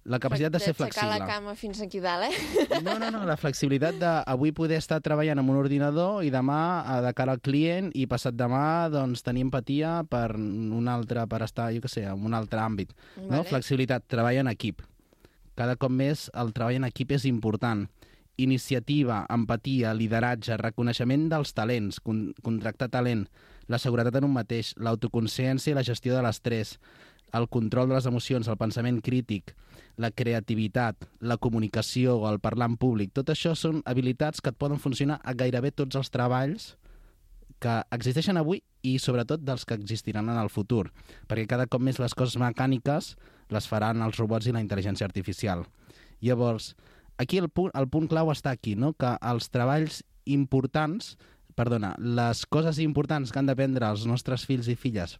La capacitat de ser flexible. Aixecar la cama fins aquí dalt, eh? No, no, no. La flexibilitat d'avui poder estar treballant amb un ordinador i demà de cara al client i passat demà doncs, tenir empatia per un altre, per estar, jo què sé, en un altre àmbit. Vale. No? Flexibilitat, treball en equip. Cada cop més el treball en equip és important. Iniciativa, empatia, lideratge, reconeixement dels talents, con contractar talent, la seguretat en un mateix, l'autoconsciència i la gestió de l'estrès, el control de les emocions, el pensament crític, la creativitat, la comunicació, el parlar en públic. Tot això són habilitats que et poden funcionar a gairebé tots els treballs que existeixen avui i sobretot dels que existiran en el futur, perquè cada cop més les coses mecàniques les faran els robots i la intel·ligència artificial. Llavors, aquí el punt, el punt clau està aquí, no? Que els treballs importants, perdona, les coses importants que han d'aprendre els nostres fills i filles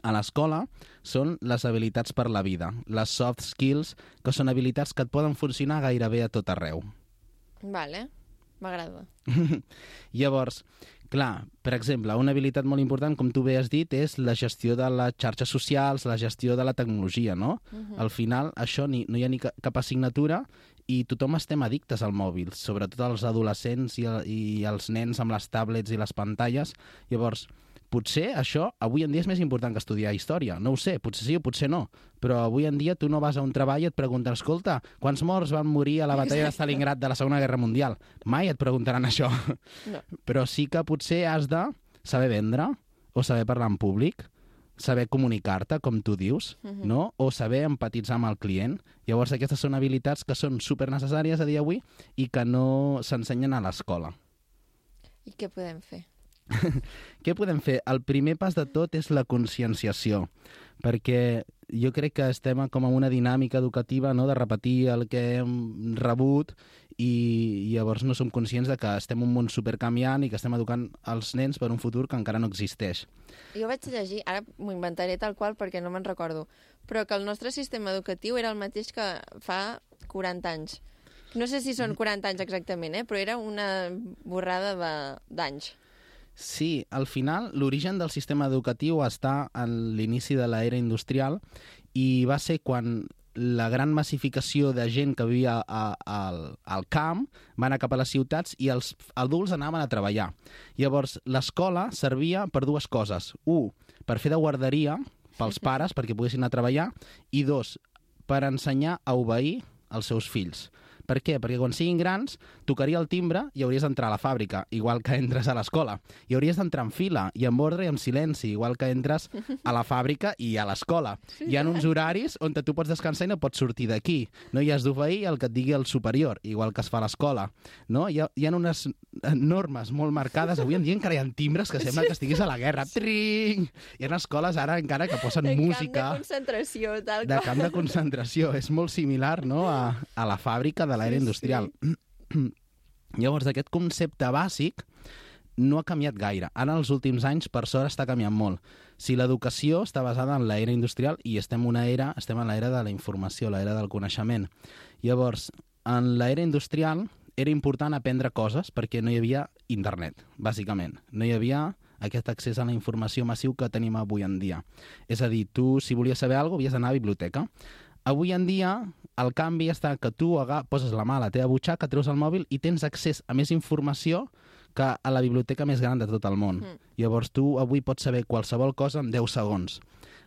a l'escola són les habilitats per la vida, les soft skills, que són habilitats que et poden funcionar gairebé a tot arreu. Vale, m'agrada. Llavors, clar, per exemple, una habilitat molt important, com tu bé has dit, és la gestió de les xarxes socials, la gestió de la tecnologia, no? Uh-huh. Al final, això ni, no hi ha ni cap assignatura i tothom estem addictes al mòbil, sobretot els adolescents i, i els nens amb les tablets i les pantalles. Llavors, potser això avui en dia és més important que estudiar història. No ho sé, potser sí o potser no. Però avui en dia tu no vas a un treball i et pregunten, escolta, quants morts van morir a la batalla de Stalingrad de la Segona Guerra Mundial? Mai et preguntaran això. No. Però sí que potser has de saber vendre o saber parlar en públic, saber comunicar-te, com tu dius, uh-huh. no? O saber empatitzar amb el client. Llavors aquestes són habilitats que són supernecessàries a dia d'avui i que no s'ensenyen a l'escola. I què podem fer? Què podem fer? El primer pas de tot és la conscienciació, perquè jo crec que estem com en una dinàmica educativa, no?, de repetir el que hem rebut i llavors no som conscients de que estem en un món supercanviant i que estem educant els nens per un futur que encara no existeix. Jo vaig llegir, ara m'ho inventaré tal qual perquè no me'n recordo, però que el nostre sistema educatiu era el mateix que fa quaranta anys. No sé si són quaranta anys exactament, eh? Però era una borrada d'anys. Sí, al final l'origen del sistema educatiu està en l'inici de l'era industrial i va ser quan la gran massificació de gent que vivia a, a, al camp va anar cap a les ciutats i els adults anaven a treballar. Llavors, l'escola servia per dues coses. Un, per fer de guarderia pels pares, perquè poguessin anar a treballar, i dos, per ensenyar a obeir els seus fills. Per què? Perquè quan siguin grans, tocaria el timbre i hauries d'entrar a la fàbrica, igual que entres a l'escola. I hauries d'entrar en fila, i en ordre i en silenci, igual que entres a la fàbrica i a l'escola. Hi ha uns horaris on tu pots descansar i no pots sortir d'aquí. No hi has d'obeir el que et digui el superior, igual que es fa a l'escola. No? Hi, ha, hi ha unes normes molt marcades. Avui en dia encara hi ha timbres que sembla que estiguis a la guerra. Tring! Hi ha escoles ara encara que posen de música... De camp de concentració, tal De com. camp de concentració. És molt similar, no?, a, a la fàbrica de l'era Sí, industrial. Sí. Llavors, aquest concepte bàsic no ha canviat gaire. Ara, els últims anys, per sort, està canviant molt. Si l'educació està basada en l'era industrial i estem, una era, estem en l'era de la informació, l'era del coneixement. Llavors, en l'era industrial era important aprendre coses perquè no hi havia internet, bàsicament. No hi havia aquest accés a la informació massiu que tenim avui en dia. És a dir, tu, si volies saber alguna cosa, havies d'anar a la biblioteca. Avui en dia, el canvi està que tu aga, poses la mà a la teva butxaca, treus el mòbil i tens accés a més informació que a la biblioteca més gran de tot el món. Mm. Llavors, tu avui pots saber qualsevol cosa en deu segons.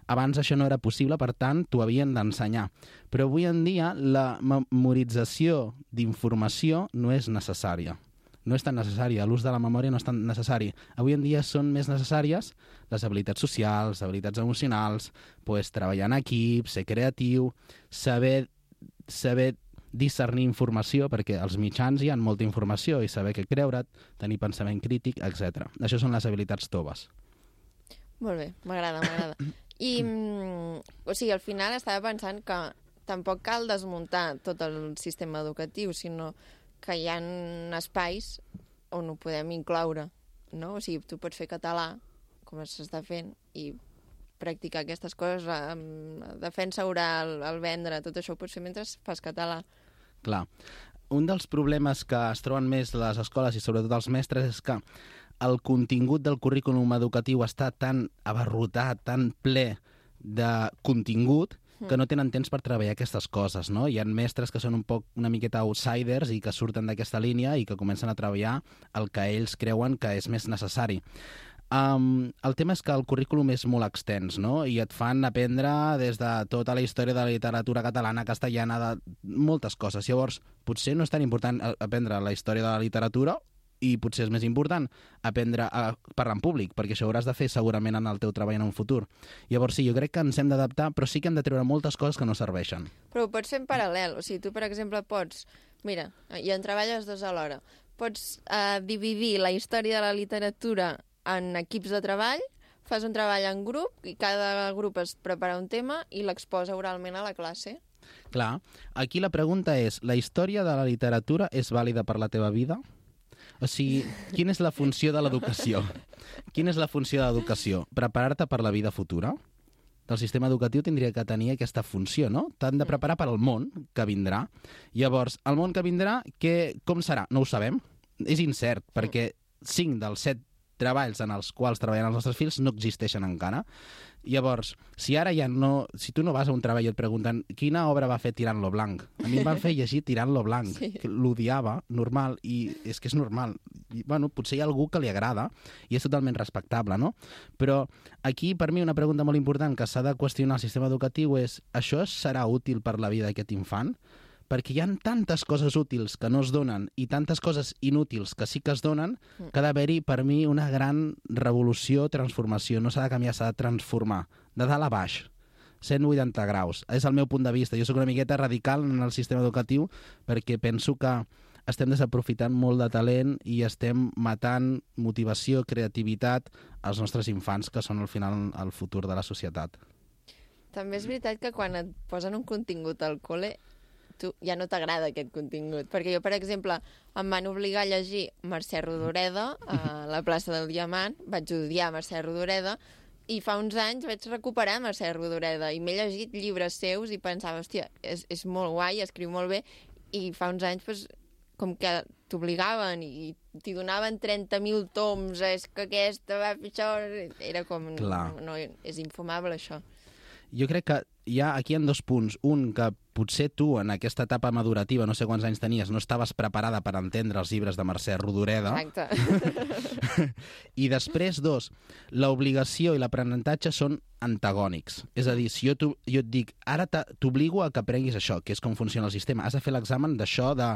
Abans això no era possible, per tant, t'ho havien d'ensenyar. Però avui en dia, la memorització d'informació no és necessària. No és tan necessària, l'ús de la memòria no és tan necessari. Avui en dia són més necessàries les habilitats socials, habilitats emocionals, pues, treballar en equip, ser creatiu, saber, saber discernir informació, perquè als mitjans hi ha molta informació, i saber què creure't, tenir pensament crític, etcètera. Això són les habilitats toves. Molt bé, m'agrada, m'agrada. I, o sigui, al final estava pensant que tampoc cal desmuntar tot el sistema educatiu, sinó que hi ha espais on ho podem incloure, no? O sigui, tu pots fer català, com s'està fent, i practicar aquestes coses, amb defensa oral, el vendre, tot això ho pots fer mentre fas català. Clar. Un dels problemes que es troben més les escoles i sobretot els mestres és que el contingut del currículum educatiu està tan abarrotat, tan ple de contingut, que no tenen temps per treballar aquestes coses, no? Hi ha mestres que són un poc una miqueta outsiders i que surten d'aquesta línia i que comencen a treballar el que ells creuen que és més necessari. Um, el tema és que el currículum és molt extens, no? I et fan aprendre des de tota la història de la literatura catalana, castellana, de moltes coses. Llavors, potser no és tan important aprendre la història de la literatura, i potser és més important aprendre a parlar en públic, perquè això ho hauràs de fer segurament en el teu treball en un futur. Llavors sí, jo crec que ens hem d'adaptar, però sí que hem de treure moltes coses que no serveixen. Però ho pots fer en paral·lel. O sigui, tu, per exemple, pots... Mira, i en treballes dos alhora. Pots eh, dividir la història de la literatura en equips de treball, fas un treball en grup i cada grup es prepara un tema i l'exposa oralment a la classe. Clar. Aquí la pregunta és, la història de la literatura és vàlida per la teva vida? O sigui, quina és la funció de l'educació? Quina és la funció de l'educació? Preparar-te per la vida futura? El sistema educatiu tindria que tenir aquesta funció, no? T'han de preparar per al món que vindrà. Llavors, el món que vindrà, que, com serà? No ho sabem. És incert, perquè cinc dels set treballs en els quals treballen els nostres fills no existeixen encara. Llavors, si ara ja no... Si tu no vas a un treball i et pregunten quina obra va fer Tirant lo Blanc, a mi em van fer llegir Tirant lo Blanc, sí. Que l'odiava, normal, i és que és normal. I, bueno, potser hi ha algú que li agrada i és totalment respectable, no? Però aquí, per mi, una pregunta molt important que s'ha de qüestionar al sistema educatiu és: això serà útil per la vida d'aquest infant? Perquè hi ha tantes coses útils que no es donen i tantes coses inútils que sí que es donen, que ha d'haver-hi, per mi, una gran revolució, transformació. No s'ha de canviar, s'ha de transformar. De dalt a baix. cent vuitanta graus. És el meu punt de vista. Jo sóc una miqueta radical en el sistema educatiu perquè penso que estem desaprofitant molt de talent i estem matant motivació, creativitat als nostres infants, que són al final el futur de la societat. També és veritat que quan et posen un contingut al col·le tu ja no t'agrada aquest contingut. Perquè jo, per exemple, em van obligar a llegir Mercè Rodoreda a la plaça del Diamant, vaig odiar Mercè Rodoreda, i fa uns anys vaig recuperar Mercè Rodoreda i m'he llegit llibres seus i pensava, hòstia, és, és molt guai, escriu molt bé, i fa uns anys pues, com que t'obligaven i t'hi donaven trenta mil toms, és que aquesta va fer això... Era com... Clar. No, no, és infumable, això. Jo crec que hi ha aquí en dos punts. Un, que potser tu, en aquesta etapa madurativa, no sé quants anys tenies, no estaves preparada per entendre els llibres de Mercè Rodoreda. Exacte. I després, dos, l'obligació i l'aprenentatge són antagònics. És a dir, si jo, jo et dic, ara t'obligo a que aprenguis això, que és com funciona el sistema. Has de fer l'examen d'això de,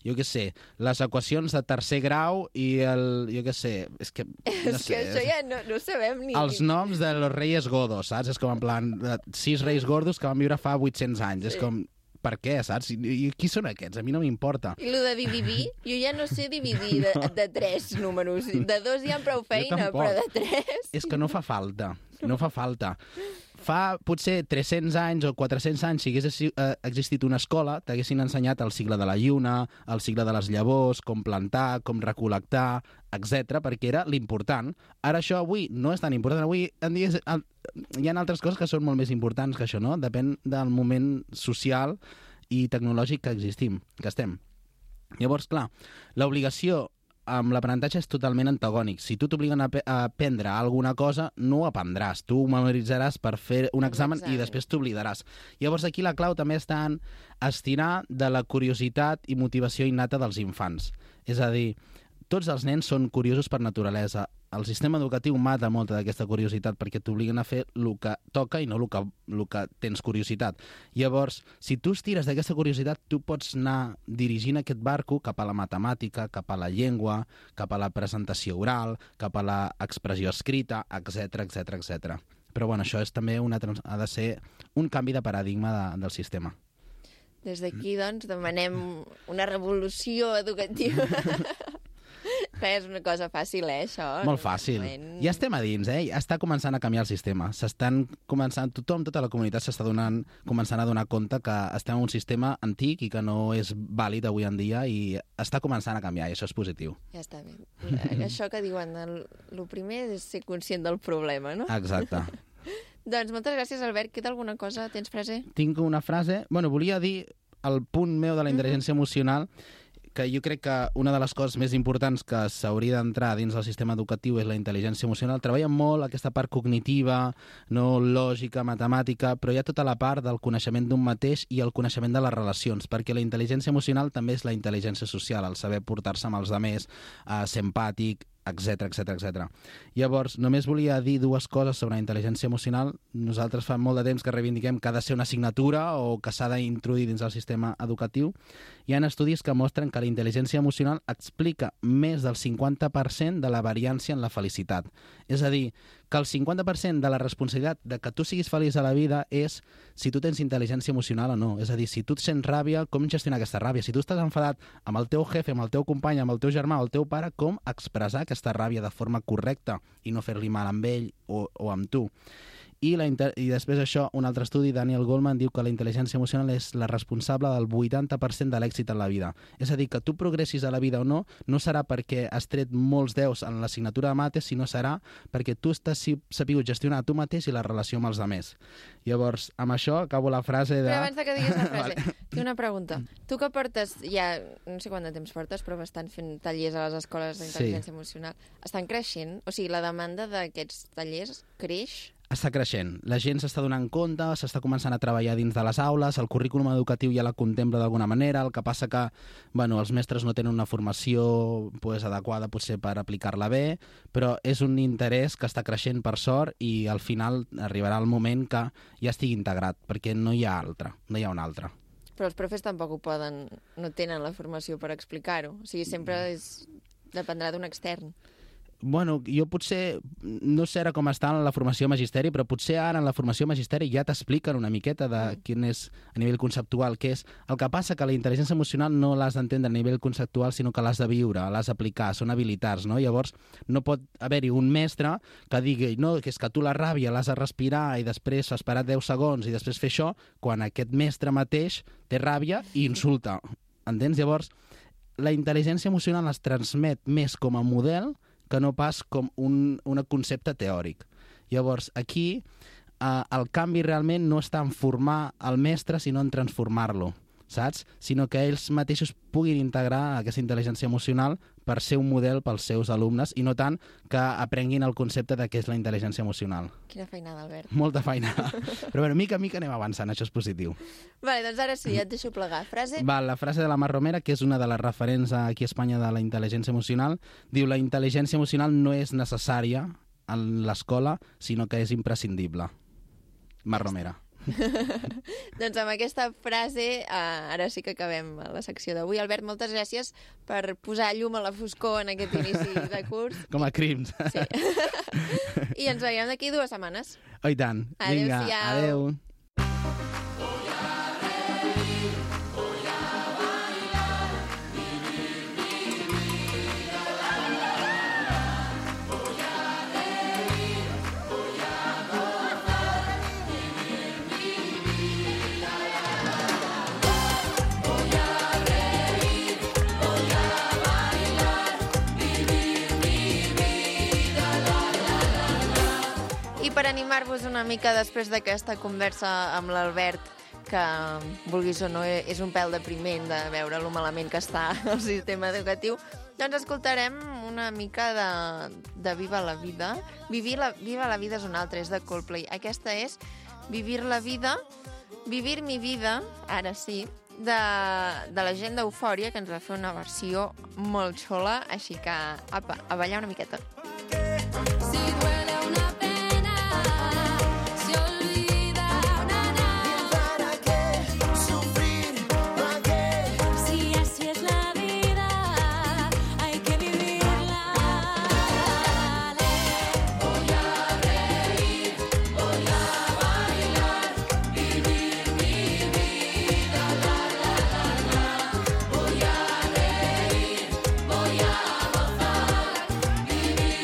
jo què sé, les equacions de tercer grau i el, jo què sé, és que... No és sé, que això ja no, no sabem ni... Els noms de los reyes godos, saps? És com en plan, sis reis gordos que van viure fa vuit-cents anys. Sí. És com, per què, saps? I, I qui són aquests? A mi no m'importa. I el de dividir, jo ja no sé dividir de, de tres números. De dos ja amb prou feina, però de tres... És que no fa falta, no fa falta. Fa potser tres-cents anys o quatre-cents anys, si hagués existit una escola, t'haguessin ensenyat el cicle de la lluna, el cicle de les llavors, com plantar, com recol·lectar, etcètera, perquè era l'important. Ara això avui no és tan important. Avui en dia hi ha altres coses que són molt més importants que això, no? Depèn del moment social i tecnològic que existim, que estem. Llavors, clar, l'obligació amb l'aprenentatge és totalment antagònic. Si tu t'obliguen a, a aprendre alguna cosa, no ho aprendràs. Tu ho memoritzaràs per fer un examen i després t'oblidaràs. Llavors aquí la clau també està en estirar de la curiositat i motivació innata dels infants. És a dir, tots els nens són curiosos per naturalesa. El sistema educatiu mata molta d'aquesta curiositat perquè t'obliguen a fer el que toca i no el que, el que tens curiositat. Llavors, si tu estires d'aquesta curiositat, tu pots anar dirigint aquest barco cap a la matemàtica, cap a la llengua, cap a la presentació oral, cap a l'expressió escrita, etcètera, etcètera, etcètera. Però bueno, això és també una, ha de ser un canvi de paradigma de, del sistema. Des d'aquí, doncs, demanem una revolució educativa. Que és una cosa fàcil, eh, això? Molt fàcil. Moment... Ja estem a dins, eh? Ja està començant a canviar el sistema. S'estan començant, tothom, tota la comunitat s'està donant, començant a donar compte que estem en un sistema antic i que no és vàlid avui en dia i està començant a canviar i això és positiu. Ja està bé. Això que diuen, el, el primer és ser conscient del problema, no? Exacte. Doncs moltes gràcies, Albert. Queda alguna cosa? Tens frase? Tinc una frase. Bueno, volia dir el punt meu de la intel·ligència emocional, que jo crec que una de les coses més importants que s'hauria d'entrar dins del sistema educatiu és la intel·ligència emocional. Treballen molt aquesta part cognitiva, no lògica, matemàtica, però hi ha tota la part del coneixement d'un mateix i el coneixement de les relacions, perquè la intel·ligència emocional també és la intel·ligència social, el saber portar-se amb els altres, eh, ser empàtic, etcètera, etcètera, etcètera. Llavors, només volia dir dues coses sobre la intel·ligència emocional. Nosaltres fa molt de temps que reivindiquem que ha de ser una assignatura o que s'ha d'introduir dins el sistema educatiu. Hi ha estudis que mostren que la intel·ligència emocional explica més del cinquanta per cent de la variància en la felicitat. És a dir, que el cinquanta per cent de la responsabilitat de que tu siguis feliç a la vida és si tu tens intel·ligència emocional o no. És a dir, si tu et sents ràbia, com gestionar aquesta ràbia? Si tu estàs enfadat amb el teu jefe, amb el teu company, amb el teu germà o el teu pare, com expressar aquesta ràbia de forma correcta i no fer-li mal amb ell o, o amb tu? I, la inter... I després això, un altre estudi, Daniel Goleman, diu que la intel·ligència emocional és la responsable del vuitanta per cent de l'èxit en la vida. És a dir, que tu progressis a la vida o no, no serà perquè has tret molts deus en l'assignatura de mates, sinó serà perquè tu estàs sapigut gestionar tu mateix i la relació amb els altres. Llavors, amb això acabo la frase de... Però abans de que diguis la frase, vale. Tinc una pregunta. Tu que portes, ja no sé quant de temps portes, però bastant fent tallers a les escoles d'intel·ligència sí. emocional, estan creixent? O sigui, la demanda d'aquests tallers creix? Està creixent. La gent s'està donant compte, s'està començant a treballar dins de les aules, el currículum educatiu ja la contempla d'alguna manera, el que passa que bueno, els mestres no tenen una formació pues, adequada potser per aplicar-la bé, però és un interès que està creixent per sort i al final arribarà el moment que ja estigui integrat, perquè no hi ha altre, no hi ha un altre. Però els profes tampoc ho poden, no tenen la formació per explicar-ho. O sigui, sempre és, dependrà d'un extern. Bueno, jo potser, no sé ara com està en la formació magisteri, però potser ara en la formació magisteri ja t'expliquen una miqueta de quin és a nivell conceptual què és. El que passa que la intel·ligència emocional no l'has d'entendre a nivell conceptual, sinó que l'has de viure, l'has d'aplicar, són habilitats, no? Llavors no pot haver-hi un mestre que digui no, que és que tu la ràbia l'has de respirar i després esperar deu segons i després fer això, quan aquest mestre mateix té ràbia i insulta. Entens? Llavors, la intel·ligència emocional es transmet més com a model que no pas com un, un concepte teòric. Llavors, aquí eh, el canvi realment no està en formar el mestre, sinó en transformar-lo. saps? Sinó que ells mateixos puguin integrar aquesta intel·ligència emocional per ser un model pels seus alumnes i no tant que aprenguin el concepte de què és la intel·ligència emocional. Quina feinada, Albert. Molta feinada. Però bueno, mica a mica anem avançant, això és positiu. Vale, doncs ara sí, ja et deixo plegar. Frase? Va, la frase de la Mar Romera, que és una de les referents aquí a Espanya de la intel·ligència emocional, diu: la intel·ligència emocional no és necessària en l'escola, sinó que és imprescindible. Mar Romera. Doncs amb aquesta frase eh, ara sí que acabem la secció d'avui. Albert, moltes gràcies per posar llum a la foscor en aquest inici de curs. Com a crims. Sí. I ens veiem d'aquí dues setmanes. Oh, i tant. Vinga, adeu. Per animar-vos una mica després d'aquesta conversa amb l'Albert, que, vulguis o no, és un pèl depriment de veure lo malament que està el sistema educatiu, doncs escoltarem una mica de, de Viva la Vida. Vivir la, Viva la Vida és una altra, és de Coldplay. Aquesta és Vivir la Vida, Vivir mi Vida, ara sí, de, de la gent d'Eufòria, que ens va fer una versió molt xula, així que, apa, a ballar una miqueta. Si duele una Voy a gozar, vivir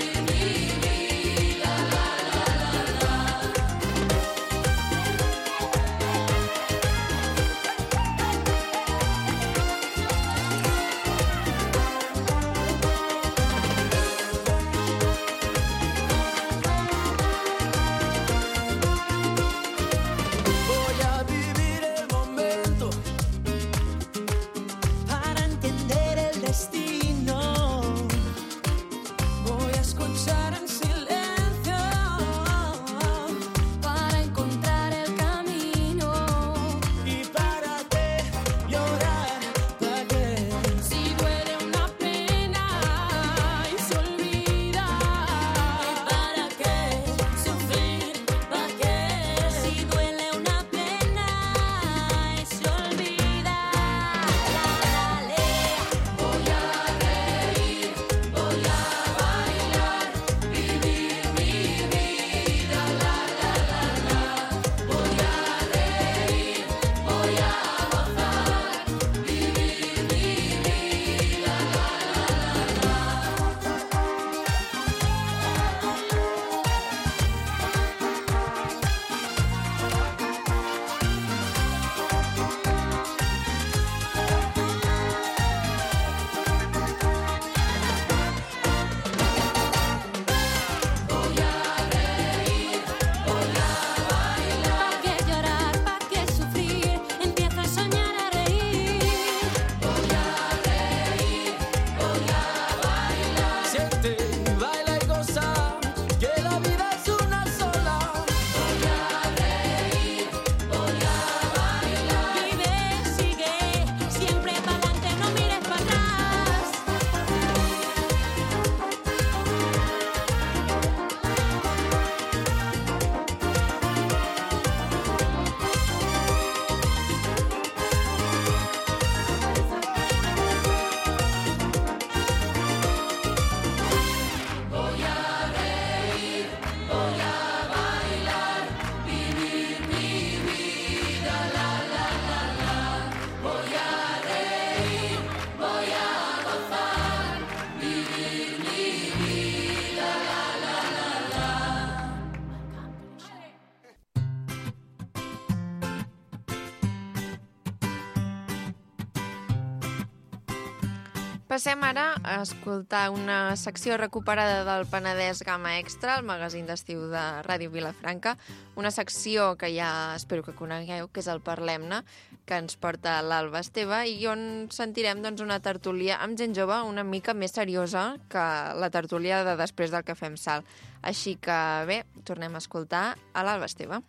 Passem ara a escoltar una secció recuperada del Penedès Gamma Extra, el magazín d'estiu de Ràdio Vilafranca, una secció que ja espero que conegueu, que és el Parlem-ne, que ens porta l'Alba Esteve, i on sentirem doncs, una tertúlia amb gent jove una mica més seriosa que la tertúlia de després del Cafè amb Sal. Així que, bé, tornem a escoltar a l'Alba Esteve.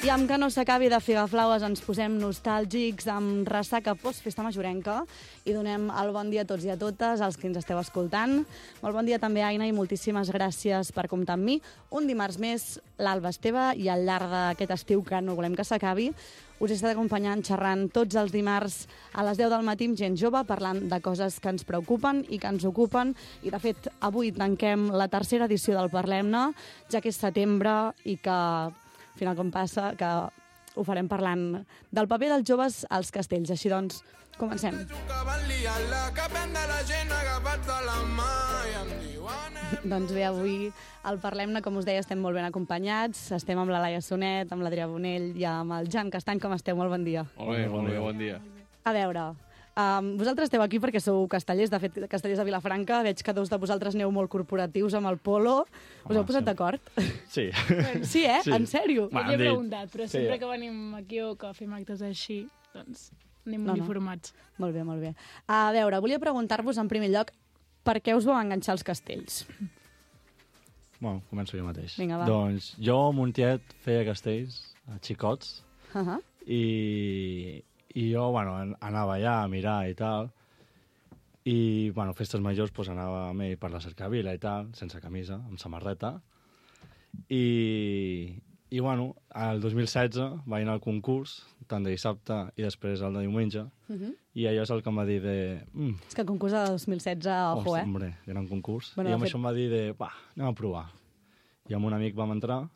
I amb que no s'acabi de Figaflaues ens posem nostàlgics amb ressaca post-festa majorenca i donem el bon dia a tots i a totes, als que ens esteu escoltant. Molt bon dia també, Aina, i moltíssimes gràcies per comptar amb mi. Un dimarts més, l'Alba Esteve, i al llarg d'aquest estiu que no volem que s'acabi, us he estat acompanyant xerrant tots els dimarts a les deu del matí amb gent jove, parlant de coses que ens preocupen i que ens ocupen. I, de fet, avui tanquem la tercera edició del Parlem-ne, ja que és setembre i que... al final com passa, que ho farem parlant del paper dels joves als castells. Així doncs, comencem. Doncs bé, avui al Parlem-ne, com us deia, estem molt ben acompanyats. Estem amb la Laia Sonet, amb l'Adrià Bonell i amb el Jan Castany. Com esteu? Molt bon dia. Molt bé, molt bé, bon dia. A veure, um, vosaltres esteu aquí perquè sou castellers, de fet, castellers de Vilafranca. Veig que dos de vosaltres aneu molt corporatius amb el polo. Us heu posat d'acord? Sí. Sí, eh? Sí. En sèrio? Va, Jo he dit. preguntat, però Sí. sempre que venim aquí o que fem actes així, doncs anem No, no. uniformats. Molt bé, molt bé. A veure, volia preguntar-vos en primer lloc per què us vau enganxar als castells? Bueno, començo jo mateix. Vinga, va. Doncs jo, a Montiet, feia castells, a xicots, Uh -huh. i, i jo, bueno, an- anava allà a mirar i tal, i, bueno, festes majors, doncs anava amb ell per la cercavila i tal, sense camisa, amb samarreta, i, i bueno, el dos mil setze vaig anar al concurs, tant de dissabte i després el de diumenge, Uh -huh. i allò és el que em va dir de... Mm, És que el concurs de dos mil setze, ojo, Hosti, eh? Hombre, gran concurs. Bueno, I de amb fet- això em va dir de, va, anem a provar. I amb un amic vam entrar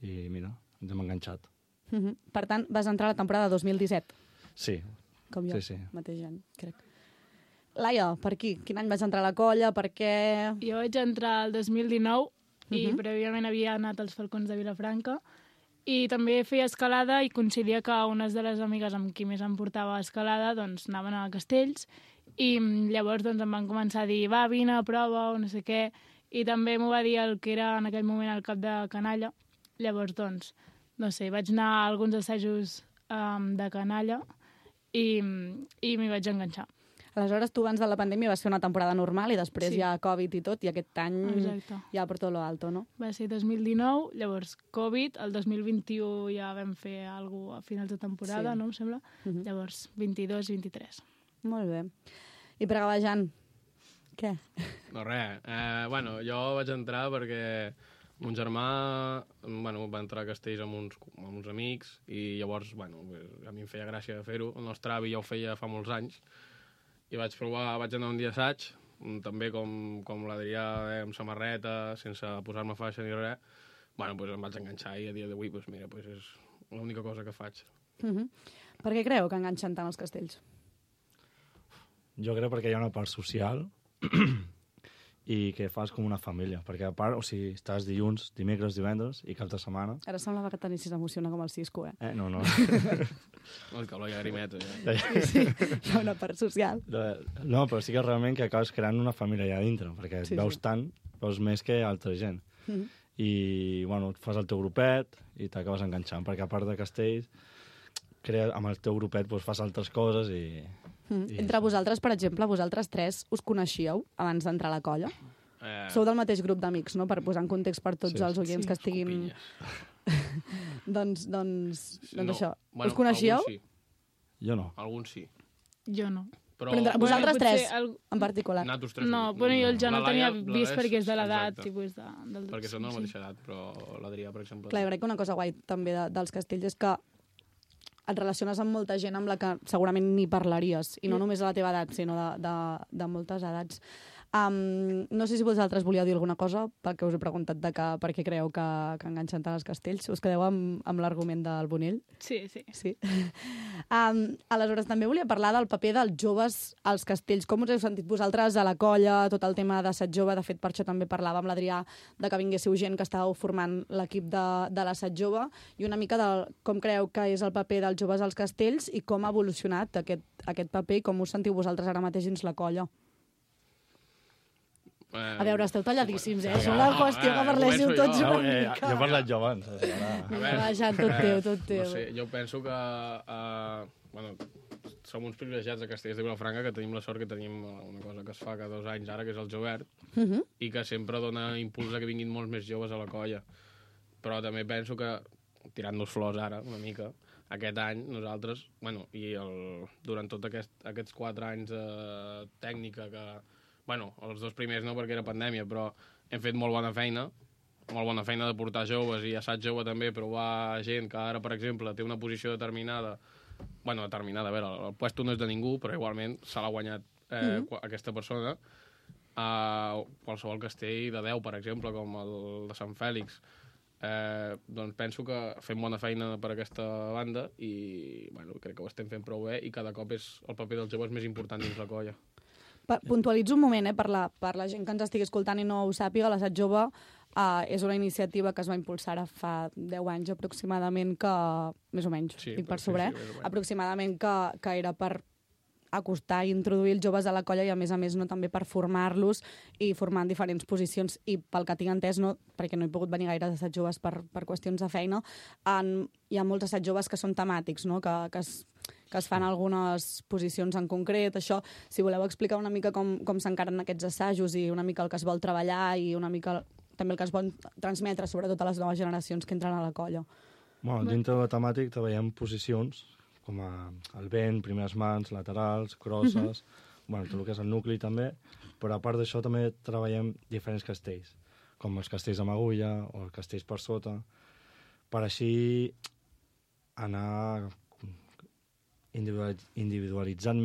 i, mira, ens hem enganxat. Uh -huh. Per tant, vas entrar a la temporada dos mil disset, Sí, com jo, sí, sí. mateix any, crec. Laia, per aquí? Quin any vas entrar a la colla? Per què? Jo vaig entrar el dos mil dinou i Mhm. prèviament havia anat als Falcons de Vilafranca i també feia escalada i coincidia que unes de les amigues amb qui més em portava a escalada doncs anaven a Castells i mm, llavors doncs em van començar a dir va, vine a prova o no sé què, i també m'ho va dir el que era en aquell moment el cap de canalla. Llavors doncs, no sé, vaig anar a alguns assajos um, de canalla i, i m'hi vaig enganxar. Aleshores, tu abans de la pandèmia vas fer una temporada normal i després Sí. hi ha Covid i tot, i aquest any Exacte. ja per tot lo alto, no? Va ser dos mil dinou, llavors Covid, el dos mil vint-i-u ja vam fer alguna cosa a finals de temporada, Sí. no em sembla? Mhm. Llavors vint-i-dos vint-i-tres. Molt bé. I per acabar, Jan, què? No, res. Eh, bueno, jo vaig entrar perquè mon germà bueno, va entrar a Castells amb uns, amb uns amics i llavors, bueno, a mi em feia gràcia fer-ho. El nostre avi ja ho feia fa molts anys i vaig provar, vaig anar un dia assaig, també com, com l'Adrià, eh, amb samarreta, sense posar-me faixa ni res. Bueno, doncs em vaig enganxar i a dia d'avui, doncs mira, doncs és l'única cosa que faig. Uh -huh. Per què creu que enganxen tant els castells? Jo crec perquè hi ha una part social i que fas com una família. Perquè a part, o sigui, estàs dilluns, dimecres, divendres i cap de setmana. Ara semblava que t'anissis a emocionar com el Cisco, eh? Eh, no, no. No, que l'oi agrimeta, ja. Sí, hi ha una part social. No, però sí que realment que acabes creant una família allà dintre, perquè Sí, sí, veus sí. tant, veus més que altra gent. Uh -huh. I, bueno, fas el teu grupet i t'acabes enganxant, perquè a part de castells, crea, amb el teu grupet doncs, fas altres coses i... Mm. I Entre vosaltres, per exemple, vosaltres tres us coneixíeu abans d'entrar a la colla? Eh, Sou del mateix grup d'amics, no? Per posar en context per tots Sí. els oients Sí. que estiguin... Copilles. doncs, doncs, doncs No, això. bueno, us coneixíeu? Alguns sí, Jo no. alguns sí. Jo no. Però, Però entre vosaltres Potser tres, el- en particular. Nosaltres tres No, bueno, jo el ja no La tenia Laia- la vist Laia perquè és de l'edat, exacte, tipus de... Del... perquè són de la sí. mateixa edat, però l'Adrià, per exemple... Clar, jo crec que una cosa guai també de, dels castells és que et relaciones amb molta gent amb la que segurament ni parlaries, i no Sí. només a la teva edat, sinó de, de, de moltes edats. Um, no sé si vosaltres volíeu dir alguna cosa pel que us he preguntat de que, per què creieu que, que enganxen tant els castells. Us quedeu amb, amb l'argument del Bonell? Sí, sí. sí. Um, aleshores, també volia parlar del paper dels joves als castells. Com us heu sentit vosaltres a la colla, tot el tema d'assaig jove? De fet, per això també parlava amb l'Adrià de que vinguéssiu gent que estàveu formant l'equip de, de l'assaig jove i una mica de com creieu que és el paper dels joves als castells i com ha evolucionat aquest, aquest paper i com us sentiu vosaltres ara mateix dins la colla. A veure, esteu talladíssims, eh? És una qüestió que parléssiu tots una mica. Jo he parlat jo abans. Va, Jan, tot teu, tot teu. No sé, jo penso que... Uh, bueno, som uns privilegiats de Castellers de Vilafranca que tenim la sort que tenim una cosa que es fa cada dos anys ara, que és el Jovert, uh -huh. i que sempre dona impuls a que vinguin molts més joves a la colla. Però també penso que, tirant-nos flors ara, una mica, aquest any nosaltres, bueno, i el, durant tots aquest, aquests quatre anys de tècnica que... Bueno, els dos primers no, perquè era pandèmia, però hem fet molt bona feina, molt bona feina de portar joves i assaig jove també, provar gent que ara, per exemple, té una posició determinada, bueno, determinada, a veure, el puesto no és de ningú, però igualment se l'ha guanyat eh, mm-hmm. aquesta persona. Uh, qualsevol castell de deu, per exemple, com el de Sant Fèlix, eh, doncs penso que fem bona feina per aquesta banda i bueno, crec que ho estem fent prou bé i cada cop és el paper dels joves més important dins la colla. Puntualitzo un moment, eh, per la, per la gent que ens estigui escoltant i no ho sàpiga, l'assaig jove uh, és una iniciativa que es va impulsar ara fa deu anys aproximadament, que, més o menys, sí, dic per sobre, sí, sí, aproximadament que, que era per acostar i introduir els joves a la colla i, a més a més, no, també per formar-los i formar en diferents posicions. I pel que tinc entès, no, perquè no he pogut venir gaire d'assaig joves per, per qüestions de feina, en, hi ha molts assaig joves que són temàtics, no? que, que es que es fan algunes posicions en concret. Això, si voleu explicar una mica com, com s'encaren aquests assajos i una mica el que es vol treballar i una mica també el que es vol transmetre, sobretot a les noves generacions que entren a la colla. Bueno, dintre de la temàtica treballem posicions com a el vent, primeres mans, laterals, crosses, uh-huh. bueno, tot el que és el nucli també, però a part d'això també treballem diferents castells, com els castells amb agulla o els castells per sota, per així anar individualitzant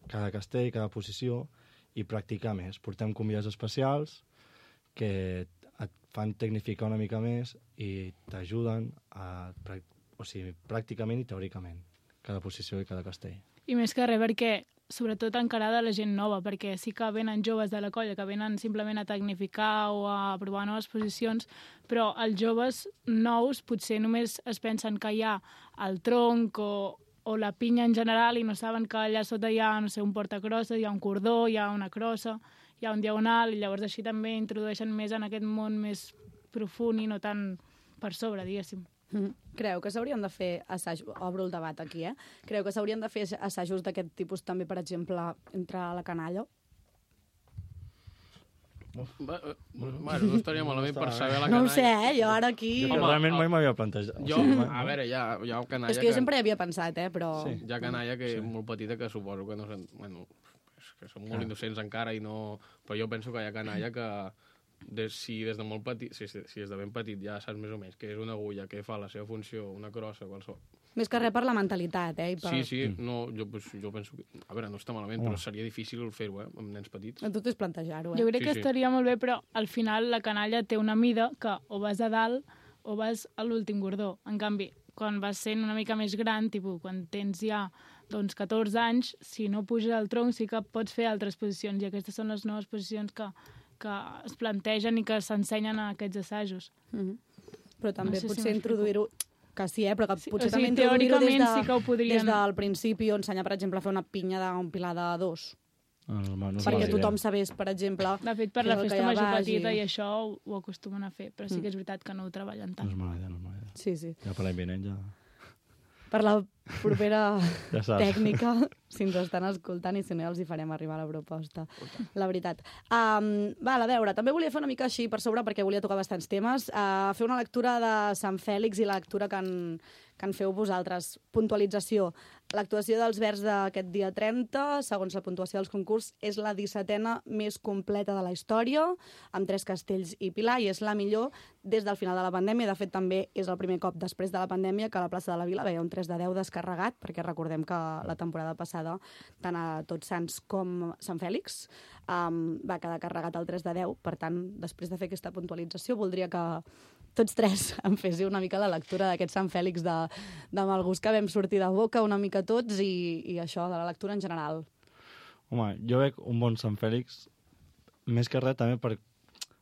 cada castell, cada posició, i practicar més. Portem convidats especials que et fan tecnificar una mica més i t'ajuden a, o sigui, pràcticament i teòricament, cada posició i cada castell. I més que res, perquè sobretot encarada la gent nova, perquè sí que venen joves de la colla, que venen simplement a tecnificar o a provar noves posicions, però els joves nous potser només es pensen que hi ha el tronc o o la pinya en general i no saben que allà sota hi ha, no sé, un portacrossa, hi ha un cordó, hi ha una crossa, hi ha un diagonal, i llavors així també introdueixen més en aquest món més profund i no tan per sobre, diguéssim. Mm. Creu que s'haurien de fer assajos, obro el debat aquí, eh? Creu que s'haurien de fer assajos d'aquest tipus també, per exemple, entre la canalla? Va, bueno, no estaria malament per saber la canalla. No ho sé, eh? Jo ara aquí... Jo realment mai m'havia plantejat. Jo, a veure, hi ha, hi ha canalla... És que jo sempre hi havia pensat, eh? Però... Sí. Hi ha canalla que és molt petita que suposo que no... Bueno, que són molt innocents encara i no... Però jo penso que hi ha canalla que... De, si des de molt petit, si, si des de ben petit ja saps més o menys que és una agulla, que fa la seva funció, una crossa, qualsevol... Més que res per la mentalitat, eh? I per... Sí, sí, no, jo, pues, jo penso que... A veure, no està malament, oh. però seria difícil fer-ho, eh, amb nens petits. A tot és plantejar-ho, eh? Jo crec sí, que sí. estaria molt bé, però al final la canalla té una mida que o vas a dalt o vas a l'últim gordó. En canvi, quan vas sent una mica més gran, tipus, quan tens ja doncs, catorze anys, si no puges al tronc sí que pots fer altres posicions, i aquestes són les noves posicions que, que es plantegen i que s'ensenyen a aquests assajos. Mm-hmm. Però també no sé potser si introduir-ho... Que sí, eh? Però que sí, potser o sigui, també introduir-ho des, de, sí que ho podrien... des del principi, o ensenyar, per exemple, a fer una pinya d'un pilar de dos. Ah, no, no perquè tothom sabés, per exemple... De fet, per la festa major vagi. petita i això ho, ho acostumen a fer, però sí que és veritat que no ho treballen tant. No és mala idea, no és mala idea. Sí, sí. Ja per l'any vinent ja... Per la propera ja tècnica, si ens estan escoltant, i si no ja els hi farem arribar la proposta, la veritat. Um, val, a veure, també volia fer una mica així per sobre, perquè volia tocar bastants temes, uh, fer una lectura de Sant Fèlix i la lectura que en, que en feu vosaltres. Puntualització. L'actuació dels Verds d'aquest dia trenta, segons la puntuació dels concurs, és la dissetena més completa de la història, amb tres castells i pilar, i és la millor des del final de la pandèmia. De fet, també és el primer cop després de la pandèmia que a la plaça de la Vila veia un tres de deu descarregat, perquè recordem que la temporada passada, tant a Tots Sants com Sant Fèlix, um, va quedar carregat el tres de deu. Per tant, després de fer aquesta puntualització, voldria que tots tres em féssiu una mica la lectura d'aquest Sant Fèlix de, de mal gust que vam sortir de boca una mica tots i, i això, de la lectura en general. Home, jo veig un bon Sant Fèlix, més que res també per,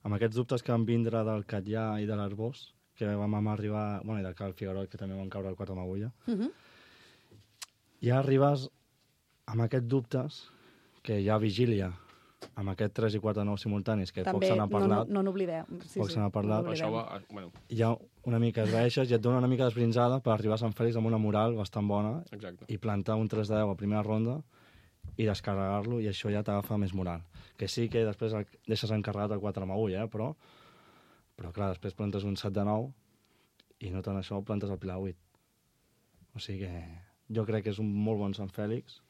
amb aquests dubtes que van vindre del Catllà i de l'Arbós, que vam arribar, bueno, i del Cal Figueroa, que també van caure el quatre amb agulla. Uh -huh. Ja arribes amb aquests dubtes, que hi ha vigília, amb aquest tres i quatre nou simultanis, que també poc se n'ha parlat. No, no n'oblideu. Sí, poc sí, se n'ha parlat. no Això va, bueno. Ja una mica es veixes i et dona una mica d'esbrinzada per arribar a Sant Fèlix amb una moral bastant bona. Exacte. I plantar un tres de deu a primera ronda i descarregar-lo, i això ja t'agafa més moral. Que sí que després el deixes encarregat el quatre amb agulla, eh? però, però clar, després plantes un set de nou i no tant això, plantes el pilar vuit. O sigui que jo crec que és un molt bon Sant Fèlix,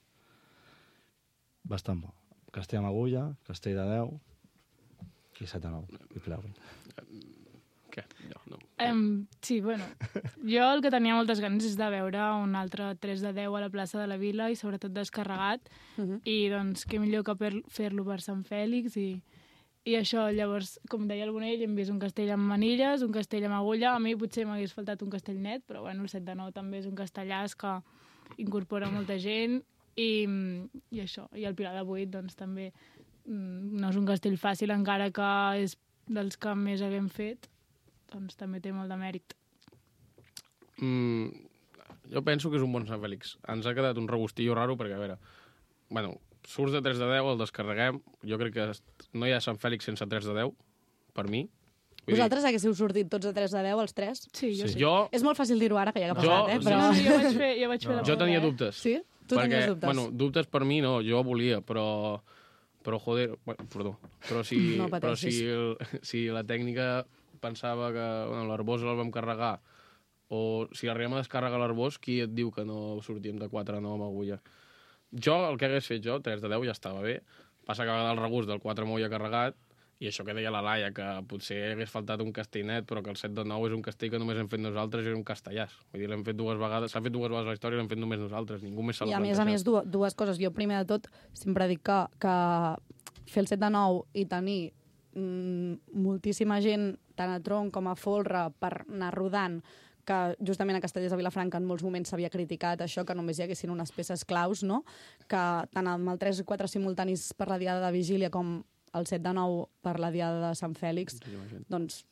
bastant bo. Castell amb agulla, castell de deu i set de nou, i pilar vuit. Què? No, no. Um, sí, bueno, jo el que tenia moltes ganes és de veure un altre tres de deu a la plaça de la Vila i sobretot descarregat, uh -huh. i doncs què millor que per fer-lo per Sant Fèlix i, i això, llavors, com deia el Bonell, hem vist un castell amb manilles, un castell amb agulla, a mi potser m'hagués faltat un castell net, però bueno, el set de nou també és un castellàs que incorpora molta gent. I, i això, i el pilar de vuit doncs també no és un castell fàcil, encara que és dels que més haguem fet, doncs també té molt de mèrit. Mm, jo penso que és un bon Sant Fèlix. Ens ha quedat un regustillo raro perquè, a veure, bueno, surts de tres de deu, el descarreguem, jo crec que no hi ha Sant Fèlix sense tres de deu, per mi. Vull Vosaltres dir... haguéssiu sortit tots de tres de deu, els tres? Sí, jo sí. sí. Jo... És molt fàcil dir-ho ara, que ja ha passat, jo... eh? Però... No, no, jo vaig fer, jo vaig fer no. la Jo tenia prova, dubtes. Sí? Tu perquè, tenies dubtes? Bueno, dubtes per mi no, jo volia, però... Però, joder, bueno, perdó. Però si, no però si, el, si la tècnica pensava que bueno, l'Arbós el vam carregar, o si arribem a descarregar l'Arbós, qui et diu que no sortíem de quatre a nou amb agulla? Jo, el que hagués fet jo, tres de deu, ja estava bé. Passa que va quedar el regust del quatre amb agulla carregat, i això que deia la Laia, que potser hagués faltat un castell net, però que el set de nou és un castell que només hem fet nosaltres i és un castellàs. Vull dir, l'hem fet dues vegades, s'ha fet dues vegades a la història i l'hem fet només nosaltres, ningú més s'ha I a més a més, dues, dues coses. Jo, primer de tot, sempre dic que, que fer el set de nou i tenir mm, moltíssima gent, tant a tronc com a folre, per anar rodant, que justament a Castellers de Vilafranca en molts moments s'havia criticat això, que només hi haguessin unes peces claus, no? Que tant amb el tres i quatre simultanis per la diada de Vigília com el set de nou per la diada de Sant Fèlix, doncs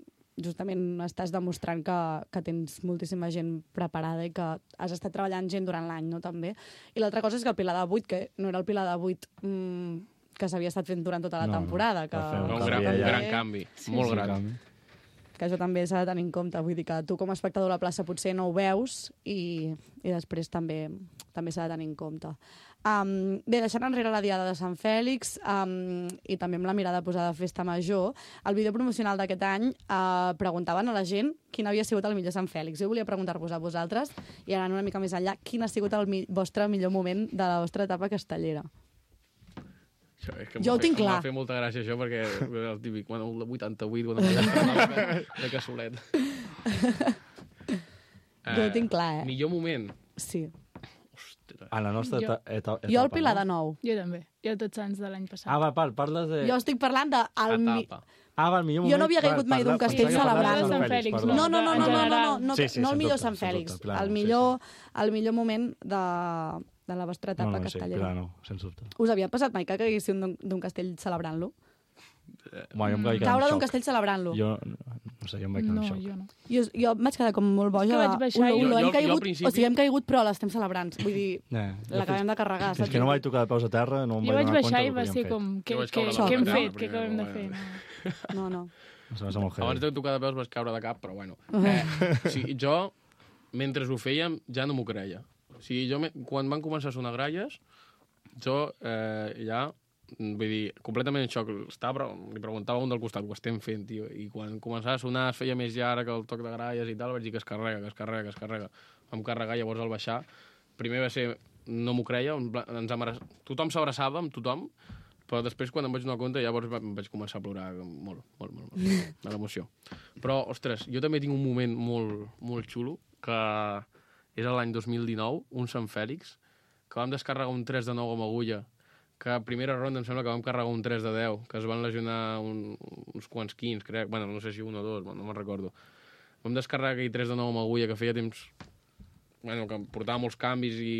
justament estàs demostrant que, que tens moltíssima gent preparada i que has estat treballant gent durant l'any, no? També. I l'altra cosa és que el pilar de vuit, que no era el pilar de vuit mmm, que s'havia estat fent durant tota la no, temporada. Que, un, un, gran, un gran canvi, sí, molt sí, gran. Canvi. Que això també s'ha de tenir en compte. Vull dir que tu com a espectador a la plaça potser no ho veus i, i després també també s'ha de tenir en compte. Um, bé, deixant enrere la diada de Sant Fèlix um, i també amb la mirada posada a Festa Major, el vídeo promocional d'aquest any uh, preguntaven a la gent quin havia sigut el millor Sant Fèlix. Jo volia preguntar-vos a vosaltres, i anant una mica més enllà, quin ha sigut el mi vostre millor moment de la vostra etapa castellera? Això, és que jo ho tinc clar. M'ha fet molta gràcia això, perquè el típic, bueno, el vuitanta-vuit, bueno, de, de cassolet. Jo ho tinc clar, eh? Millor moment? Sí. Ostres. A la nostra Jo- eta etapa. Jo el Pilar de Nou. Jo també. Jo tots anys de l'any passat. Ah, va, par, parles de... Jo estic parlant de... El mi... Etapa. Ah, va, el millor Jo moment... no havia caigut mai d'un castell pensava que parlaves celebrant. de Sant Fèlix, perdó. No, no, no, no, no, no, no, no, Sí, sí, no el sens millor dubte, Sant sens Fèlix. dubte, clar, El sí, millor, el millor moment de, de la vostra etapa No, no, sí, castellera. clar, no, sens dubte. Us havia passat mai que caiguéssiu d'un d'un castell celebrant-lo? Home, jo em vaig quedar Caure en d'un xoc. castell celebrant-lo? Jo, no sé, jo em vaig quedar No, en xoc. jo no. Jo, jo em vaig quedar com molt boja. És que vaig de, baixar ulo, i- ulo, Jo- hem jo- jo al caigut, principi- O sigui, hem caigut, però l'estem celebrant. Vull dir, Eh, jo l'acabem de carregar. Fins que no vaig tocar de peus a terra, no em Jo vaig vaig donar compte baixar i del que va havíem ser fet. com... Què Jo vaig què- caure a la què hem primera, fet? Què primera, acabem de bueno. fer? No, No. no. Això va ser molt heavy. Abans de tocar de peus vas caure de cap, però bueno. Eh, o sigui, jo, mentre ho fèiem, ja no m'ho creia. O sigui, jo, me, quan van començar a sonar gralles, jo eh, ja, vull dir, completament en xoc. Estava, però li preguntava a un del costat, ho estem fent, tio. I quan començava a sonar, es feia més llarg el toc de gralles i tal, vaig dir que es carrega, que es carrega, que es carrega. Vam carregar, llavors al baixar, primer va ser no m'ho creia, ens abraç... tothom s'abraçava amb tothom, però després, quan em vaig donar compte, llavors em vaig començar a plorar molt, molt, molt, molt, de l'emoció. Però, ostres, jo també tinc un moment molt, molt xulo, que és l'any dos mil dinou, un Sant Fèlix, que vam descarregar un tres de nou amb agulla, que a primera ronda em sembla que vam carregar un tres de deu, que es van lesionar un, uns quants quins, crec, bueno, no sé si un o dos, no me'n recordo. Vam descarregar aquell tres de nou amb agulla, que feia temps... Bueno, que portava molts canvis i...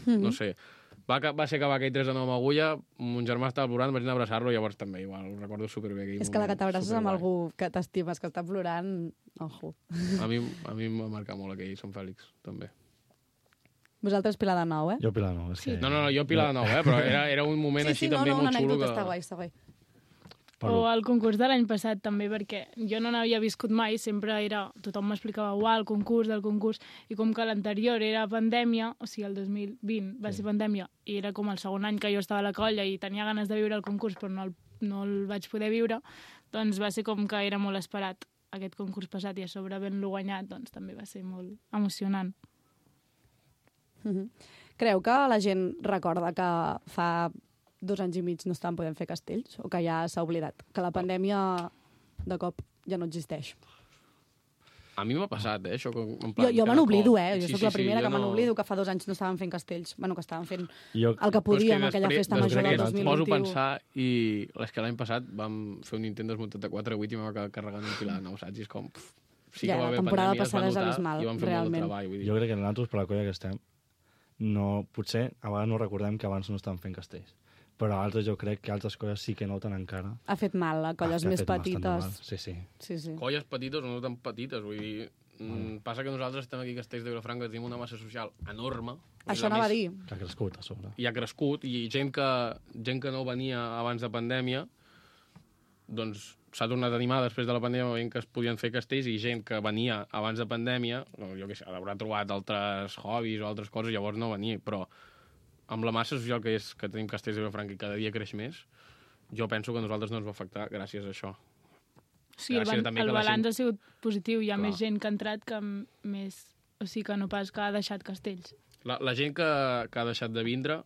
Mm-hmm. No sé... Va, va ser acabar aquell tres de nou amb agulla, mon germà estava plorant, vaig anar a abraçar-lo, llavors també, igual, ho recordo superbé. És que la que t'abraces amb algú que t'estimes, que està plorant, ojo. A mi, a mi em va marcar molt aquell Sant Fèlix, també. Vosaltres Pilar de Nou, eh? Jo Pilar de Nou, és sí. que... No, no, no, jo Pilar de Nou, eh? Però era, era un moment sí, així sí, també no, no, molt xulo. Sí, no, no, una anècdota, està guai, està guai. O el concurs de l'any passat també, perquè jo no n'havia viscut mai, sempre era... Tothom m'explicava, uau, el concurs del concurs, i com que l'anterior era pandèmia, o sigui, el dos mil vint va sí. ser pandèmia, i era com el segon any que jo estava a la colla i tenia ganes de viure el concurs, però no el, no el vaig poder viure, doncs va ser com que era molt esperat aquest concurs passat, i a sobre havent-lo guanyat, doncs també va ser molt emocionant. Mm-hmm. Creu que la gent recorda que fa... dos anys i mig no estaven podent fer castells, o que ja s'ha oblidat, que la pandèmia de cop ja no existeix? A mi m'ha passat, eh, això. En plan, jo jo me n'oblido, eh? Jo sí, soc sí, la primera sí, que me no... n'oblido que fa dos anys no estaven fent castells. Bueno, que estaven fent jo... el que podien, que aquella després, festa major del dos mil vint u. Poso a pensar, i és que l'any passat vam fer un intent desmuntat de quatre a vuit i vam acabar carregant un pilar de nou, saps? I és com... Pff, sí ja, que va la haver temporada pandèmia, passada és notar, abismal, i vam fer realment. molt de treball. Vull dir. Jo crec que nosaltres, per la colla que estem, no, potser a vegades no recordem que abans no estaven fent castells. Però altres jo crec que altres colles sí que noten encara. Ha fet mal a colles ah, més petites. Sí, sí. sí, sí. Colles petites o no tan petites, vull dir... Mm. Passa que nosaltres estem aquí a Castells de Vilafranca, tenim una massa social enorme. Això anava a dir. Que ha crescut, a sobre. I ha crescut, i gent que, gent que no venia abans de pandèmia, doncs s'ha tornat a animar després de la pandèmia, veient que es podien fer castells, i gent que venia abans de pandèmia, jo què sé, haurà trobat altres hobbies o altres coses, llavors no venia, però amb la massa social que és que tenim Castells de Vilafranca i cada dia creix més, jo penso que a nosaltres no ens va afectar gràcies a això. Sí, el, ban el balanç gent... ha sigut positiu. Hi ha Clar. més gent que ha entrat que més... O sigui, que no pas que ha deixat castells. La, la gent que, que ha deixat de vindre,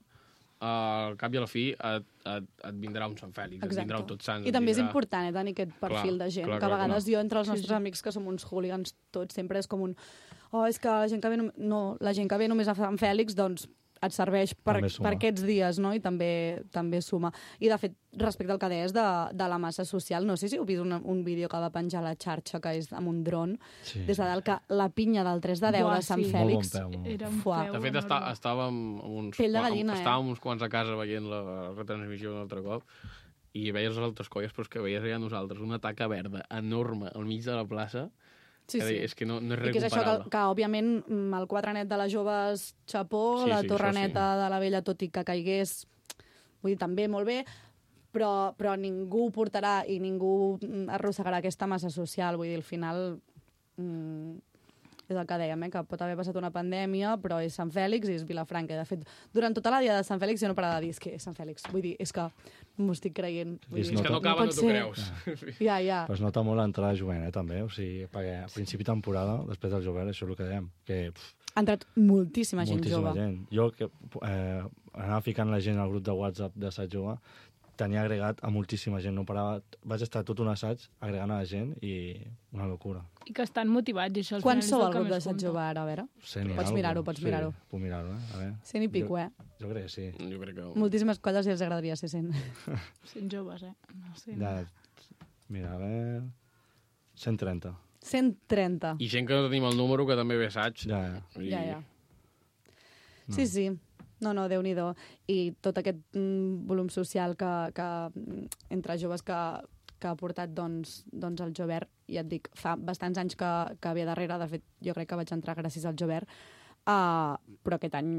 al cap i a la fi et, et, et vindrà un Sant Fèlix, Exacte. et vindrà un Tots Sants. I també vindrà... és important, eh, tenir aquest perfil clar, de gent, clar, que a vegades clar. jo, entre els nostres sí, sí. amics, que som uns hooligans tots, sempre és com un... Oh, és que la gent que ve, no, no, la gent que ve només a Sant Fèlix, doncs et serveix per, per aquests dies, no? I també també suma. I, de fet, respecte al que deies de, de la massa social, no sé si heu vist un, un vídeo que va penjar a la xarxa, que és amb un dron, sí, des de dalt, que la pinya del tres de deu Buah, de Sant sí. Fèlix... Bon peu, Era un peu de fet, està, estàvem uns, Pell de gallina, estàvem eh? uns quants a casa veient la retransmissió un altre cop, i veies les altres colles, però és que veies ja nosaltres una taca verda enorme al mig de la plaça. Sí, sí. És que no, no és res comparable. I que és això que, que, òbviament, el quatre net de les joves, xapó, sí, la sí, torre neta sí. de la vella, tot i que caigués, vull dir, també molt bé, però, però ningú portarà i ningú arrossegarà aquesta massa social. Vull dir, al final, mm, és el que dèiem, eh, que pot haver passat una pandèmia, però és Sant Fèlix i és Vilafranca. De fet, durant tota la dia de Sant Fèlix jo no parava de dir, és que és Sant Fèlix. Vull dir, és que no m'ho estic creient. Vull dir, és que no acaba, no t'ho creus. Ja, ja. Però es nota molt l'entrada de jovent, eh, també. O sigui, perquè a principi de temporada, després del jovent, això és el que dèiem, que... Pff, ha entrat moltíssima gent moltíssima jove. Gent. Jo que eh, anava ficant la gent al grup de WhatsApp de Assaig Jove, tenia agregat a moltíssima gent. No parava, vaig estar tot un assaig agregant a la gent i una locura. I que estan motivats, i això al Quan final sou és el grup d'Assaig Jove ara, a veure? cent i pots mirar-ho, pots sí, mirar-ho. Puc mirar-ho, eh? A veure. Cent i pico, jo, eh? Jo crec que sí. Jo crec que... Moltíssimes colles i els agradaria ser cent. cent joves, eh? No sé. Ja, mira, a veure... cent trenta. cent trenta. I gent que no tenim el número, que també ve assaig. Ja, ja. I... Ja, ja. No. Sí, sí. No, no, Déu-n'hi-do. I tot aquest mm, volum social que, que entre joves que, que ha portat doncs, doncs el Jovert, ja et dic, fa bastants anys que, que ve darrere, de fet jo crec que vaig entrar gràcies al Jovert, uh, però aquest any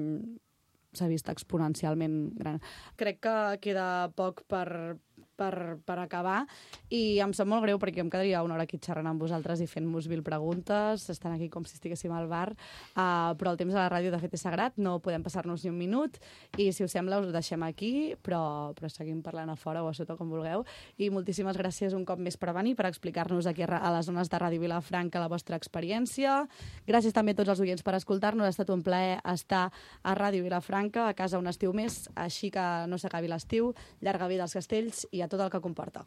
s'ha vist exponencialment gran. Crec que queda poc per, per, per acabar, i em sap molt greu perquè em quedaria una hora aquí xerrant amb vosaltres i fent-vos mil preguntes, estan aquí com si estiguéssim al bar, uh, però el temps a la ràdio de fet és sagrat, no podem passar-nos ni un minut, i si us sembla us ho deixem aquí, però, però seguim parlant a fora o a sota com vulgueu, i moltíssimes gràcies un cop més per venir, per explicar-nos aquí a les zones de Ràdio Vilafranca la vostra experiència. Gràcies també a tots els oients per escoltar-nos, ha estat un plaer estar a Ràdio Vilafranca, a casa un estiu més, així que no s'acabi l'estiu, llarga vida als castells i a tot el que comporta.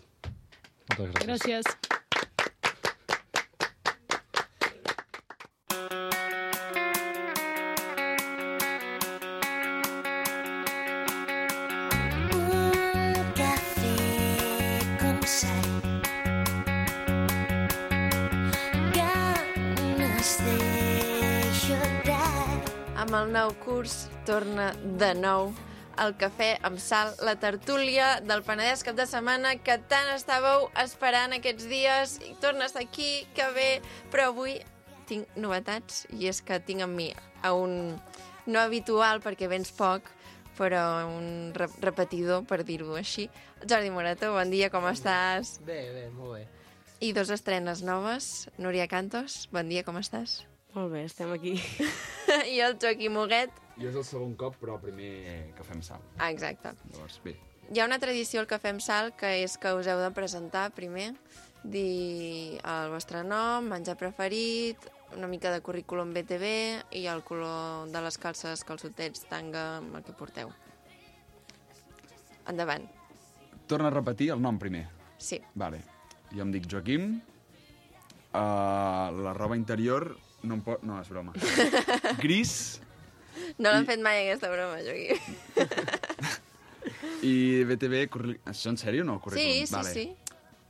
Moltes gràcies. Gràcies. Amb el nou curs torna de nou el cafè amb sal, la tertúlia del Penedès cap de setmana que tant estàveu esperant aquests dies i torna a estar aquí, que bé, però avui tinc novetats i és que tinc amb mi a un no habitual perquè vens poc, però un re repetidor, per dir-ho així. Jordi Morato, bon dia, com estàs? Bé, bé, molt bé. I dos estrenes noves. Núria Cantos, bon dia, com estàs? Molt bé, estem aquí. I el Joaquim Huguet. Jo és el segon cop, però primer cafè amb sal. Ah, exacte. Llavors, bé. Hi ha una tradició al cafè amb sal, que és que us heu de presentar primer, dir el vostre nom, menjar preferit, una mica de currículum B T V i el color de les calces, calçotets, tanga, amb el que porteu. Endavant. Torna a repetir el nom primer. Sí. Vale. Jo em dic Joaquim. Uh, la roba interior no em pot... No, és broma. Gris. No l'han I... fet mai, aquesta broma, Joaquim. I B T V... Curri... Això en sèrio o no? Sí, sí, vale. sí.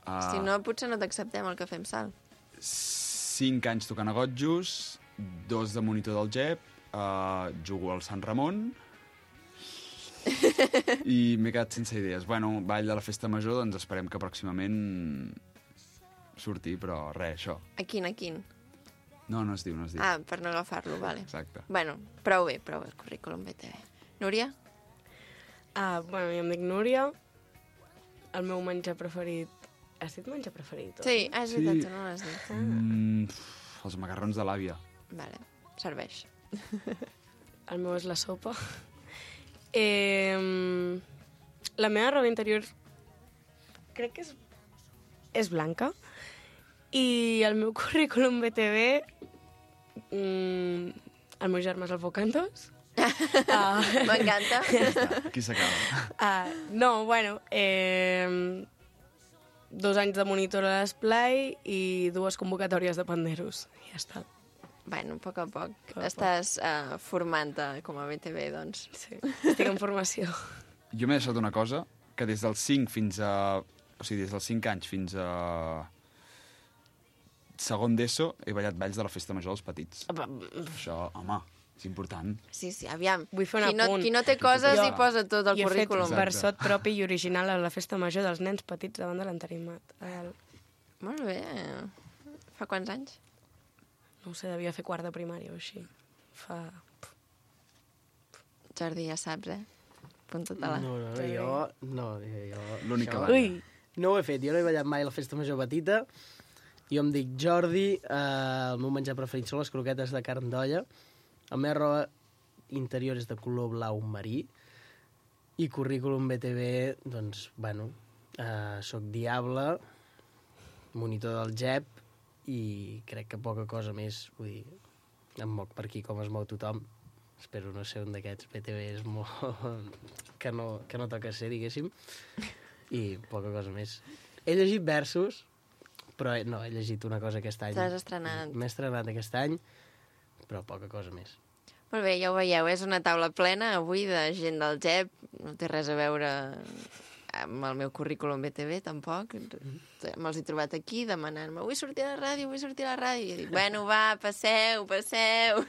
Uh... Si no, potser no t'acceptem el cafè amb sal. Cinc anys tocant a gotjos, dos de monitor del G E P, uh, jugo al Sant Ramon i m'he quedat sense idees. Bueno, ball de la festa major, doncs esperem que pròximament surti, però res, això. A quin, a quin? No, no es diu, no es diu. Ah, per no agafar-lo, vale. Exacte. Bueno, prou bé, prou bé el currículum B T V. Núria? Ah, bueno, jo em dic Núria. El meu menjar preferit... Has dit menjar preferit? Sí, ah, és veritat, sí. No l'has dit. Ah. Mm, els macarrons de l'àvia. Vale, serveix. El meu és la sopa. Eh, la meva roba interior crec que és, és blanca. I el meu currículum B T V... Mm, el meu germà és el Focantos. uh, M'encanta. Aquí s'acaba. Uh, no, bueno... Eh, dos anys de monitor a l'Esplai i dues convocatòries de panderos. I ja està. Bueno, a poc a poc. poc Estàs uh, formant-te com a B T V, doncs. Sí, estic en formació. Jo m'he deixat una cosa, que des dels cinc fins a... O sigui, des dels cinc anys fins a... segon d'ESO he ballat balls de la festa major dels petits. Això, home, és important. Sí, sí, aviam. Vull fer un qui, no, apunt. qui no té coses jo, hi posa tot el currículum. Jo he currículum. fet versot propi i original a la festa major dels nens petits davant de l'enterimat. El... Molt bé. Fa quants anys? No ho sé, devia fer quart de primària o així. Fa... Jordi, ja saps, eh? Apunta-te-la. No, no, no, jo... No, jo... L'únic que Ui! No ho he fet, jo no he ballat mai a la festa major petita. Jo em dic Jordi, eh, el meu menjar preferit són les croquetes de carn d'olla. La meva roba interior és de color blau marí i currículum B T V, doncs, bueno, eh, soc diable, monitor del G E P i crec que poca cosa més, vull dir, em moc per aquí com es mou tothom. Espero no ser un d'aquests B T Vs molt... que, no, que no toca ser, diguéssim, i poca cosa més. He llegit versos, però no, he llegit una cosa aquest any. T'has estrenat. M'he estrenat aquest any, però poca cosa més. Molt bé, ja ho veieu, és una taula plena avui de gent del G E P, no té res a veure amb el meu currículum B T V, tampoc. Me'ls he trobat aquí demanant-me vull sortir a la ràdio, vull sortir a la ràdio. I he dit, bueno, va, passeu, passeu.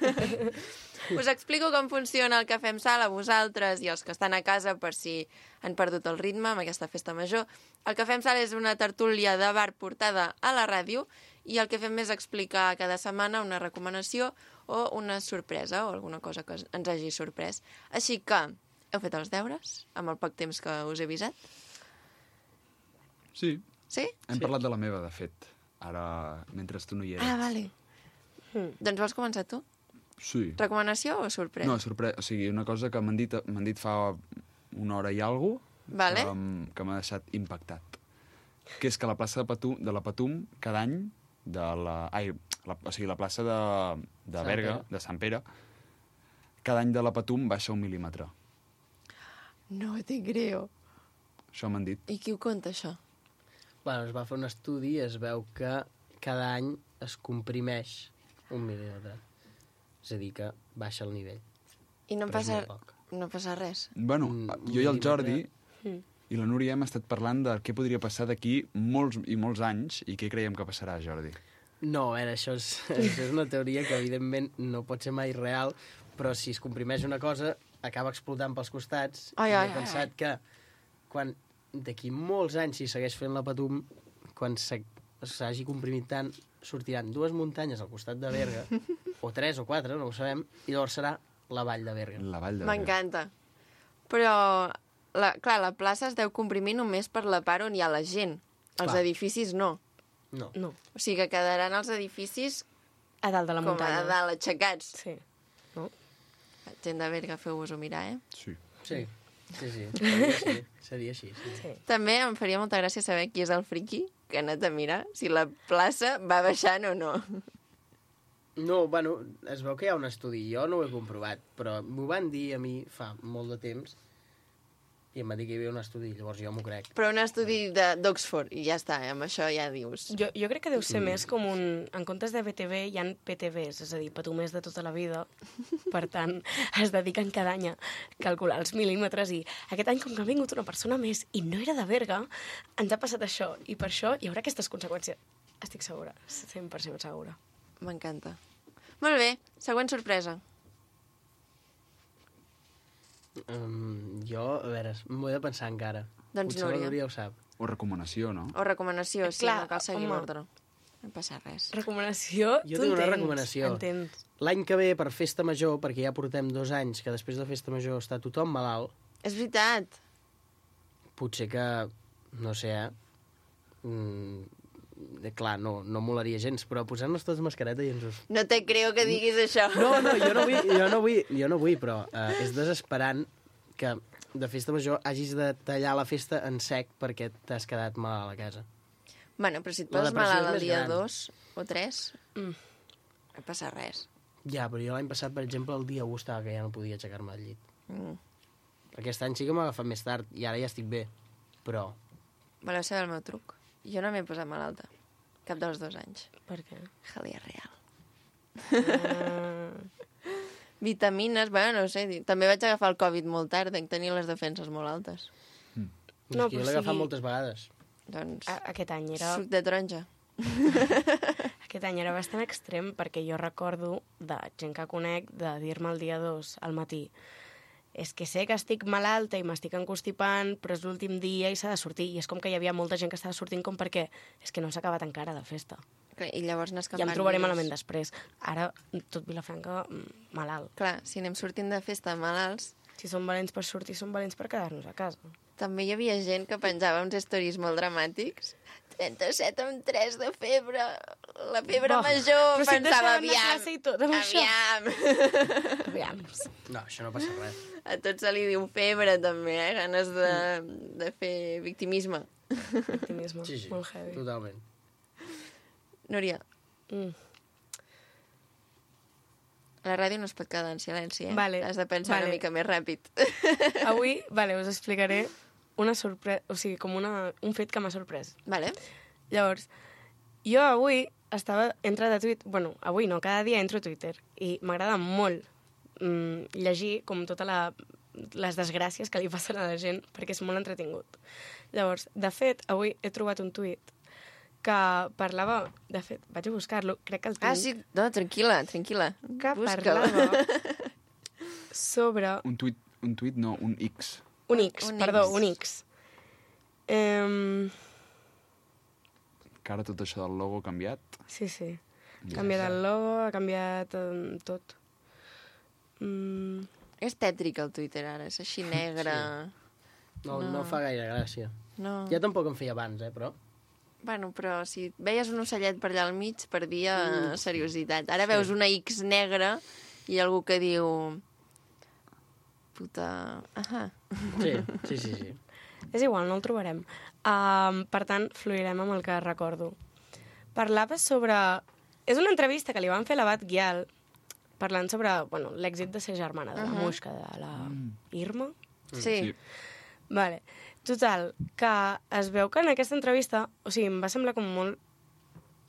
Us explico com funciona el cafè amb sal a vosaltres i els que estan a casa per si han perdut el ritme amb aquesta festa major. El cafè amb sal és una tertúlia de bar portada a la ràdio i el que fem és explicar cada setmana una recomanació o una sorpresa o alguna cosa que ens hagi sorprès. Així que, heu fet els deures amb el poc temps que us he avisat? Sí. Sí? Hem Sí. parlat de la meva, de fet, ara, mentre tu no hi eres. Ah, vale. Mm. Doncs vols començar tu? Sí. Recomanació o sorpresa? No, sorpresa. O sigui, una cosa que m'han dit, m'han dit fa una hora i alguna cosa, Vale. que, m- que m'ha deixat impactat. Que és que la plaça de, Patum, de la Patum, cada any, de la, ai, la, o sigui, la plaça de, de Sant Berga, Pere. de Sant Pere, cada any de la Patum baixa un mil·límetre. No te creo. Això m'han dit. I qui ho conta, això? Bueno, es va fer un estudi i es veu que cada any es comprimeix un mil·límetre. És a dir, que baixa el nivell. I no Però és passa, molt poc. no passa res? Bueno, Mm, jo i el Jordi Mm. i la Núria hem estat parlant de què podria passar d'aquí molts i molts anys i què creiem que passarà, Jordi. No, a veure, això és, això és una teoria que evidentment no pot ser mai real, però si es comprimeix una cosa, acaba explotant pels costats. Ai, I ai, he pensat que quan d'aquí molts anys, si segueix fent la Patum, quan s'ha- s'hagi comprimit tant, sortiran dues muntanyes al costat de Berga, o tres o quatre, no ho sabem, i llavors serà la vall de Berga. La vall M'encanta. Però, la, clar, la plaça es deu comprimir només per la part on hi ha la gent. Els Clar. edificis no. No. No. O sigui que quedaran els edificis a dalt de la com muntanya. a dalt, aixecats. Sí. No? Gent de Berga, feu-vos-ho mirar, eh? Sí. Sí, sí, sí. Seria així. Seria així sí. Sí. També em faria molta gràcia saber qui és el friqui que ha anat a mirar si la plaça va baixant o no. No, bueno, es veu que hi ha un estudi, jo no ho he comprovat, però m'ho van dir a mi fa molt de temps i em va dir que hi havia un estudi, llavors jo m'ho crec. Però un estudi de- d'Oxford, i ja està, eh? Amb això ja dius. Jo, jo crec que deu ser Mm. més com un... En comptes de B T V hi ha P T Vs, és a dir, patumers de tota la vida. Per tant, es dediquen cada any a calcular els mil·límetres i aquest any, com que ha vingut una persona més i no era de Berga, ens ha passat això. I per això hi haurà aquestes conseqüències. Estic segura, cent per cent segura. M'encanta. Molt bé, següent sorpresa. Um, jo, a veure, m'ho he de pensar encara. Doncs Potser Núria. la Núria ho sap. O recomanació, no? O recomanació, sí, Clar, no cal seguir home. l'ordre. No passa res. Recomanació, Jo tu tinc una entens, recomanació. Entens. L'any que ve, per Festa Major, perquè ja portem dos anys que després de Festa Major està tothom malalt, És veritat. potser que, no sé, eh? Mm, eh, clar, no, no molaria gens, però posar-nos tots mascareta i ens ho... No te creo que diguis això. No, no, jo no vull, jo no vull, jo no vull però eh, és desesperant que de Festa Major hagis de tallar la festa en sec perquè t'has quedat malalt a casa. Bueno, però si et La poses depressió malalt és el més dia gran. dos o tres, Mm. no passa res. Ja, però jo l'any passat, per exemple, el dia u estava que ja no podia aixecar-me del llit. Mm. Aquest any sí que m'ha agafat més tard i ara ja estic bé, però... Voleu saber el meu truc? Jo no m'he posat malalta. Cap dels dos anys. Per què? Jalea real. Vitamines, bueno, no sé, di- també vaig agafar el Covid molt tard, dec tenir les defenses molt altes. No, No, és que jo però l'he agafat sigui- moltes vegades. Doncs... A aquest any era... Suc de taronja. Aquest any era bastant extrem perquè jo recordo de gent que conec de dir-me el dia dos al matí és que sé que estic malalta i m'estic encostipant, però és l'últim dia i s'ha de sortir. I és com que hi havia molta gent que estava sortint com perquè és que no s'ha acabat encara la festa. Clar, I llavors anar Ja escampant em trobaré virus. malament després. Ara, tot Vilafranca, mm, malalt. Clar, si anem sortint de festa malalts... Si som valents per sortir, som valents per quedar-nos a casa. També hi havia gent que penjava uns stories molt dramàtics. trenta-set amb tres de febre, la febre Bo, major, però si et pensava, deixaven anar a aviam, classe i tot amb això. aviam. Aviam. No, això no passa res. A tot se li diu febre, també, eh? Ganes de, de fer victimisme. Optimisme. Sí, sí, Molt heavy. totalment. Núria, Mm. a la ràdio no es pot quedar en silenci, eh? Vale, Has de pensar vale. una mica més ràpid. Avui, vale, us explicaré una sorpresa, o sigui, com una, un fet que m'ha sorprès. Vale. Llavors, jo avui estava, entrat a Twitter, bueno, avui no, cada dia entro a Twitter, i m'agrada molt mm, llegir com tota la, les desgràcies que li passen a la gent, perquè és molt entretingut. Llavors, de fet, avui he trobat un tuit que parlava, de fet, vaig a buscar-lo, crec que el tinc. Ah, sí, no, tranquil·la, tranquil·la. Que Busca-la. parlava sobre... Un tuit, un tuit no, un X. Un X, Un perdó, X. un X. Um, Que ara tot això del logo ha canviat. sí, sí. Ha Ja canviat està. el logo, ha canviat um, tot. Mm, És tètric el Twitter ara, és així negre. No, no. No. no fa gaire gràcia. No. Ja tampoc em feia abans, eh, però... Bueno, però si veies un ocellet per allà al mig, perdia Mm. seriositat. Ara Sí. veus una X negra i algú que diu... Puta... Ahà. Sí, sí, sí, sí. És igual, no el trobarem. Um, per tant, fluirem amb el que recordo. Parlava sobre... És una entrevista que li van fer a la Bat Gyal parlant sobre bueno, l'èxit de ser germana de la Mhm. Muixca, de la Irma. Sí. Sí. Vale. Total, que es veu que en aquesta entrevista... O sigui, em va semblar com molt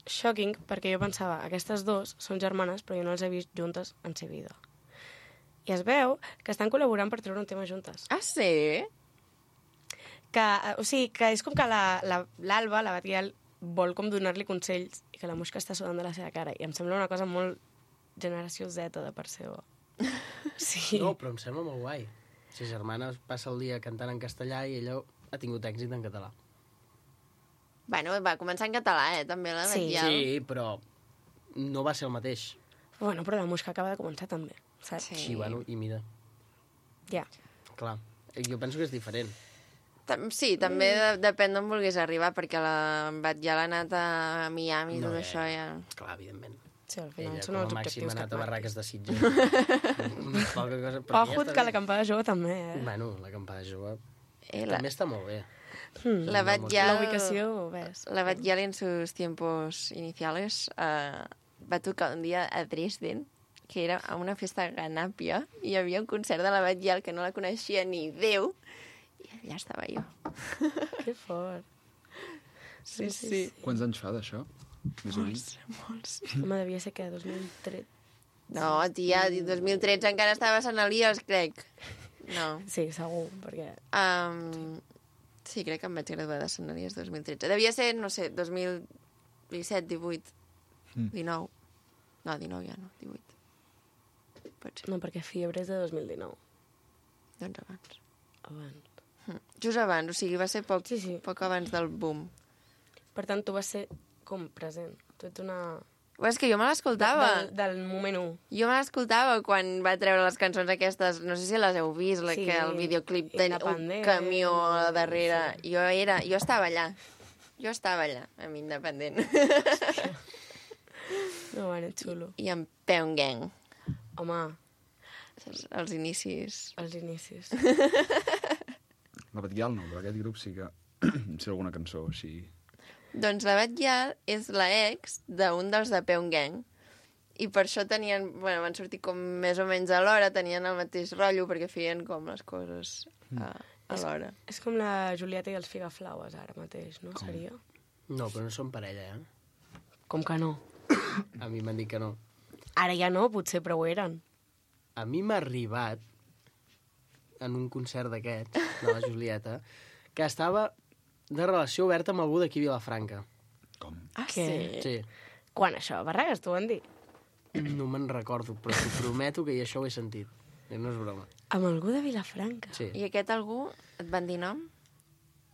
shocking, perquè jo pensava, aquestes dues són germanes, però jo no les he vist juntes en sa vida. I es veu que estan col·laborant per treure un tema juntes. Ah, sí? Que, o sigui, que és com que l'Alba, la, l'Alba, la Batguial, vol com donar-li consells i que la Muixca està sudant de la seva cara. I em sembla una cosa molt generació Z de part seva. Sí. No, però em sembla molt guai. Si germana passa el dia cantant en castellà i ella ha tingut èxit en català. Bueno, va començar en català, eh, també, la Sí. Batguial. Sí, però no va ser el mateix. Bueno, però la Muixca acaba de començar també, saps? Sí. Sí, bueno, i mira, Ja. clar. Jo penso que és diferent. Tam- Sí, també de, depèn d'on vulguis arribar, perquè la Batguial ha anat a Miami i No, tot eh, això ja... Clar, evidentment. Sí, al final Ella, són com els a màxim, objectius ha que anat a et barraques marquis. de Sitges. Poca cosa, però ja Ojut, està que bé. l'acampada jove també, eh? Bueno, l'acampada jove Eh, la, també està molt bé. Hmm. la Batguial... La ubicació, ves. La Batguial en sus tiempos iniciales uh, va tocar un dia a Dresden, que era a una festa a Ganàpia, i hi havia un concert de la Batguial que no la coneixia ni Déu, i allà estava jo. Que fort. Sí, sí. Quants anys fa d'això? Més o menys? Molts. Home, devia ser que dos mil tretze. No, tia, dos mil tretze encara estava a Sant Elias, crec. No. Sí, segur, perquè... Um, sí, crec que em vaig graduar de Sant Elias dos mil tretze. Devia ser, no sé, dos mil disset, divuit, Mm. dinou. No, dinou ja no, divuit. Pot ser. No, perquè Fiebre és de dos mil dinou. Doncs abans. Abans. Mm. Just abans, o sigui, va ser poc, Sí, sí. poc abans del boom. Per tant, tu vas ser com present. Tu ets una... Bueno, és que jo me l'escoltava. Del, del moment un. Jo me l'escoltava quan va treure les cançons aquestes, no sé si les heu vist, la Sí, que el videoclip tenia un Independent, camió a darrere. sí. Jo era, jo estava allà. Jo estava allà, amb Independent. No, bueno, xulo. I amb Peon Gang. Home, Els, els inicis. els inicis. La Batguial no, però aquest grup sí que... sé alguna cançó així... Doncs la Batguial és la ex d'un dels de Peon Gang. I per això tenien, bueno, van sortir com més o menys a l'hora, tenien el mateix rotllo perquè feien com les coses a, a l'hora. És com la Julieta i els Figaflaues ara mateix, no? Seria? No, però no són parella, eh? Com que no? A mi m'han dit que no. Ara ja no, potser, però ho eren. A mi m'ha arribat en un concert d'aquests, de la Julieta, que estava de relació oberta amb algú d'aquí a Vilafranca. Com? Ah, Què? Sí. Quan això? Barragues, t'ho van dir? No me'n recordo, però t'ho prometo que jo això ho he sentit. I no és broma. Amb algú de Vilafranca? Sí. I aquest algú et van dir nom?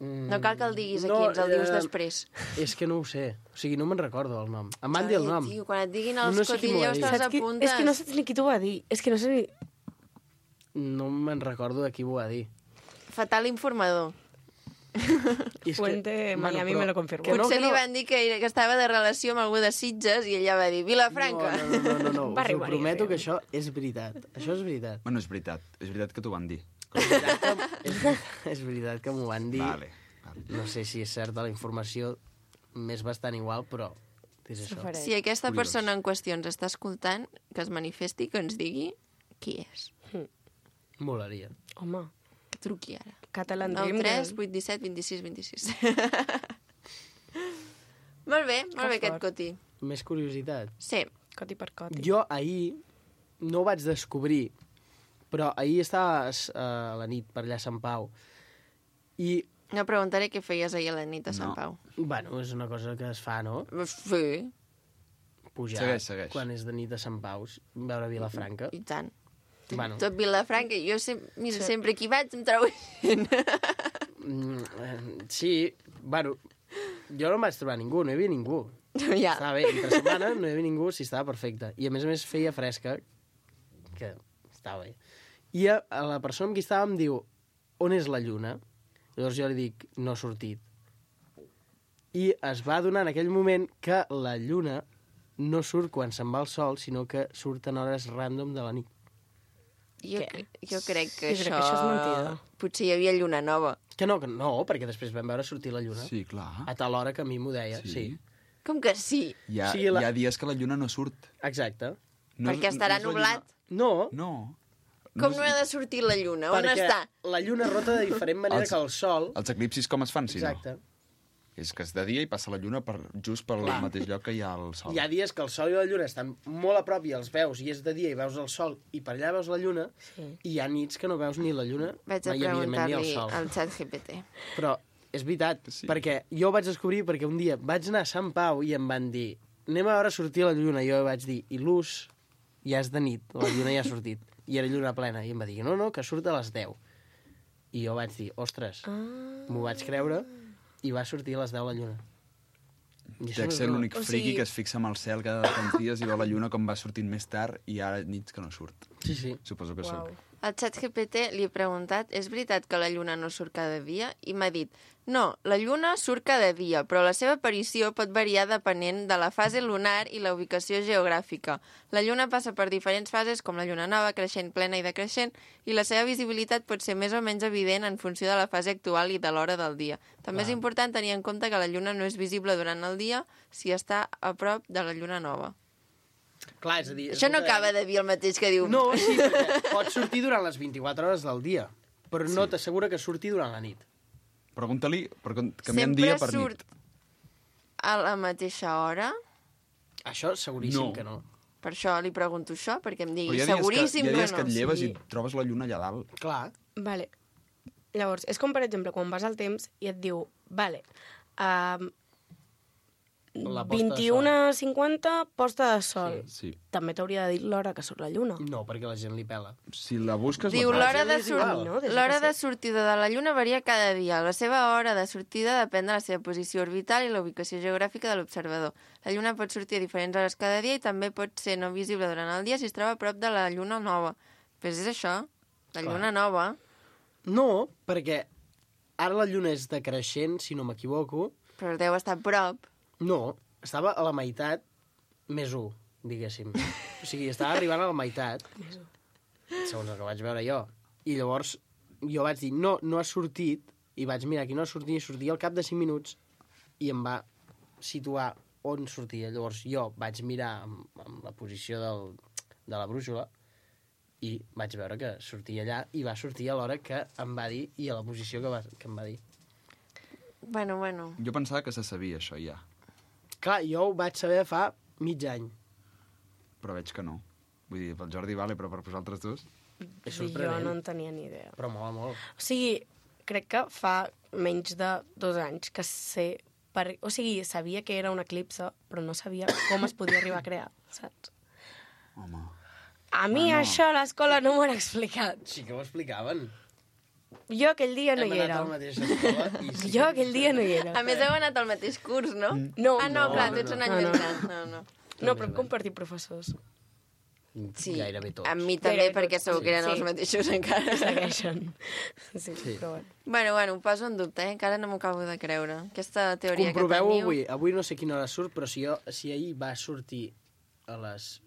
Mm, No cal que el diguis aquí, no, ens el dius eh, després. És que no ho sé. O sigui, no me'n recordo el nom. Em van dir el Ai, nom. Tio, quan et diguin els No sé qui m'ho va cotilleos dir. te'ls Saps qui... apuntes. És que no saps ni qui t'ho va dir. És que no sé ni... No me'n recordo de qui m'ho va dir. Fatal informador. I és Fuente Miami però me lo confirmó. que no, Potser que li no. van dir que, era- que estava de relació amb algú de Sitges i ella va dir Vilafranca. No, no, no, no, no. Va Us ho arribar-hi, prometo sí. que això és veritat. Això és veritat. Bueno, és veritat. És veritat que t'ho van dir. És veritat que, és, és veritat que m'ho van dir. Vale. vale. No sé si és certa la informació, m'és bastant igual, però és això. S'ofereix. Si aquesta Curiós. persona en qüestió ens està escoltant, que es manifesti, que ens digui qui és. Molaria. Home, Que truqui ara. Catalan nou Dream tres Girl. vuit disset vint sis vint sis. Molt bé, molt bé Que aquest fort. coti. Més curiositat. Sí. Coti per coti. Jo ahir no ho vaig descobrir, però ahir estava eh, a la nit per allà a Sant Pau i, No preguntaré què feies ahir a la nit a Sant No. Pau. bueno, és una cosa que es fa, no? Sí, Pujar Segueix, segueix. quan és de nit a Sant Pau, veure Vilafranca. i tant. Bueno, Tot Vilafranca, jo sem mira, Sí. sempre que hi vaig em trobo gent. mm, eh, sí, bueno, jo no em vaig trobar ningú, no hi havia ningú. ja. Estava bé, entre setmana no hi havia ningú, sí, estava perfecte. I a més a més feia fresca, que estava bé. I a, a la persona amb qui estava em diu, on és la lluna? Llavors jo li dic, no ha sortit. I es va adonar en aquell moment que la lluna no surt quan se'n va el sol, sinó que surt en hores random de la nit. Jo, jo crec que, Jo crec això... que això és mentida. Potser hi havia lluna nova. Que no, que no, perquè després vam veure sortir la lluna. Sí, clar. A tal hora que a mi m'ho deia, sí. Sí. Com que sí? Hi ha, Sí, la- hi ha dies que la lluna no surt. Exacte. No Perquè és- estarà no és la nublat. No, No. Com és- no ha de sortir la lluna? On perquè està? la lluna rota de diferent manera Els- que el sol. Els eclipsis com es fan, si Exacte. no? És que és de dia i passa la lluna per, just pel Clar. mateix lloc que hi ha el sol. Hi ha dies que el sol i la lluna estan molt a prop i els veus, i és de dia i veus el sol, i per allà veus la lluna, Sí. i hi ha nits que no veus ni la lluna, Vaig a ni, evidentment, ni el preguntar-li sol. al xat G P T. Però és veritat, sí. perquè jo ho vaig descobrir perquè un dia vaig anar a Sant Pau i em van dir anem a veure sortir la lluna, i jo vaig dir i l'ús ja és de nit, la lluna ja ha sortit, i era lluna plena, i em va dir no, no, que surt a les deu. I jo vaig dir, ostres, Ah. m'ho vaig creure, i va sortir a les deu la lluna. I això Dec no és ser broma. l'únic O friqui sigui- que es fixa en el cel cada tants dies i veu la lluna com va sortint més tard i ara nits que no surt. Sí, sí. Suposo que Uau. sóc. Al xat G P T li he preguntat, és veritat que la lluna no surt cada dia? I m'ha dit, no, la lluna surt cada dia, però la seva aparició pot variar depenent de la fase lunar i la ubicació geogràfica. La lluna passa per diferents fases, com la lluna nova, creixent, plena i decreixent, i la seva visibilitat pot ser més o menys evident en funció de la fase actual i de l'hora del dia. També Clar. és important tenir en compte que la lluna no és visible durant el dia si està a prop de la lluna nova. Clar, és a dir... Això no acaba de dir el mateix que diu... No, sí, perquè pot sortir durant les vint-i-quatre hores del dia, però no t'assegura que surti durant la nit. Pregunta-li, per canviant Sempre dia per surt nit. a la mateixa hora? Això seguríssim No. que no. Per això li pregunto això, perquè em Però digui hi ha dies que, seguríssim hi ha que, dies no. que et lleves Sí. i trobes la lluna allà dalt. Clar. Vale. Llavors, és com, per exemple, quan vas al temps i et diu, vale, um, La posta de vint-i-una cinquanta, posta de sol. Sí. També t'hauria de dir l'hora que surt la lluna. No, perquè la gent li pela. Si la busques... Diu, la l'hora de, és igual, sort... no? Deixa l'hora que de sí. sortida de la Lluna varia cada dia. La seva hora de sortida depèn de la seva posició orbital i la ubicació geogràfica de l'observador. La Lluna pot sortir a diferents hores cada dia i també pot ser no visible durant el dia si es troba a prop de la Lluna nova. Però és això, la Clar. Lluna nova. No, perquè ara la lluna és decreixent, si no m'equivoco. Però deu estar a prop. No, estava a la meitat més un, diguéssim. O sigui, estava arribant a la meitat, segons el que vaig veure jo. I llavors jo vaig dir, no, no ha sortit, i vaig mirar qui no ha sortit, i sortia al cap de cinc minuts, i em va situar on sortia. Llavors jo vaig mirar amb, amb la posició del, de la brúixola, i vaig veure que sortia allà, i va sortir a l'hora que em va dir, i a la posició que, va, que em va dir. Bueno, bueno. Jo pensava que se sabia això ja, Clar, jo ho vaig saber fa mig any. però veig que no. Vull dir, pel Jordi vale, però per vosaltres dos... És Jo sorprenent. no en tenia ni idea. Però mola molt. O sigui, crec que fa menys de dos anys que sé... Per... O sigui, sabia que era un eclipse, però no sabia com es podia arribar a crear, saps? Home... A mi Bueno. això a l'escola no m'ho han explicat. Sí que ho explicaven. Jo aquell dia no Hem hi anat era. a la mateixa escola i sí Jo que- aquell dia no hi era. A més, heu anat al mateix curs, no? No. Ah, no, No, clar, no, tu ets un no. any No, més no. gran. No, no. No, però hem compartit professors. Sí, Gairebé tots. amb mi també, Gairebé perquè tots, segur que eren sí. els mateixos encara. Segueixen. Sí, Sí. però bueno. Bueno, bueno, ho poso en dubte, eh? Encara no m'ho acabo de creure. Aquesta teoria que Comproveu teniu... avui. Avui no sé quina hora surt, però si, jo, si ahir va sortir a les...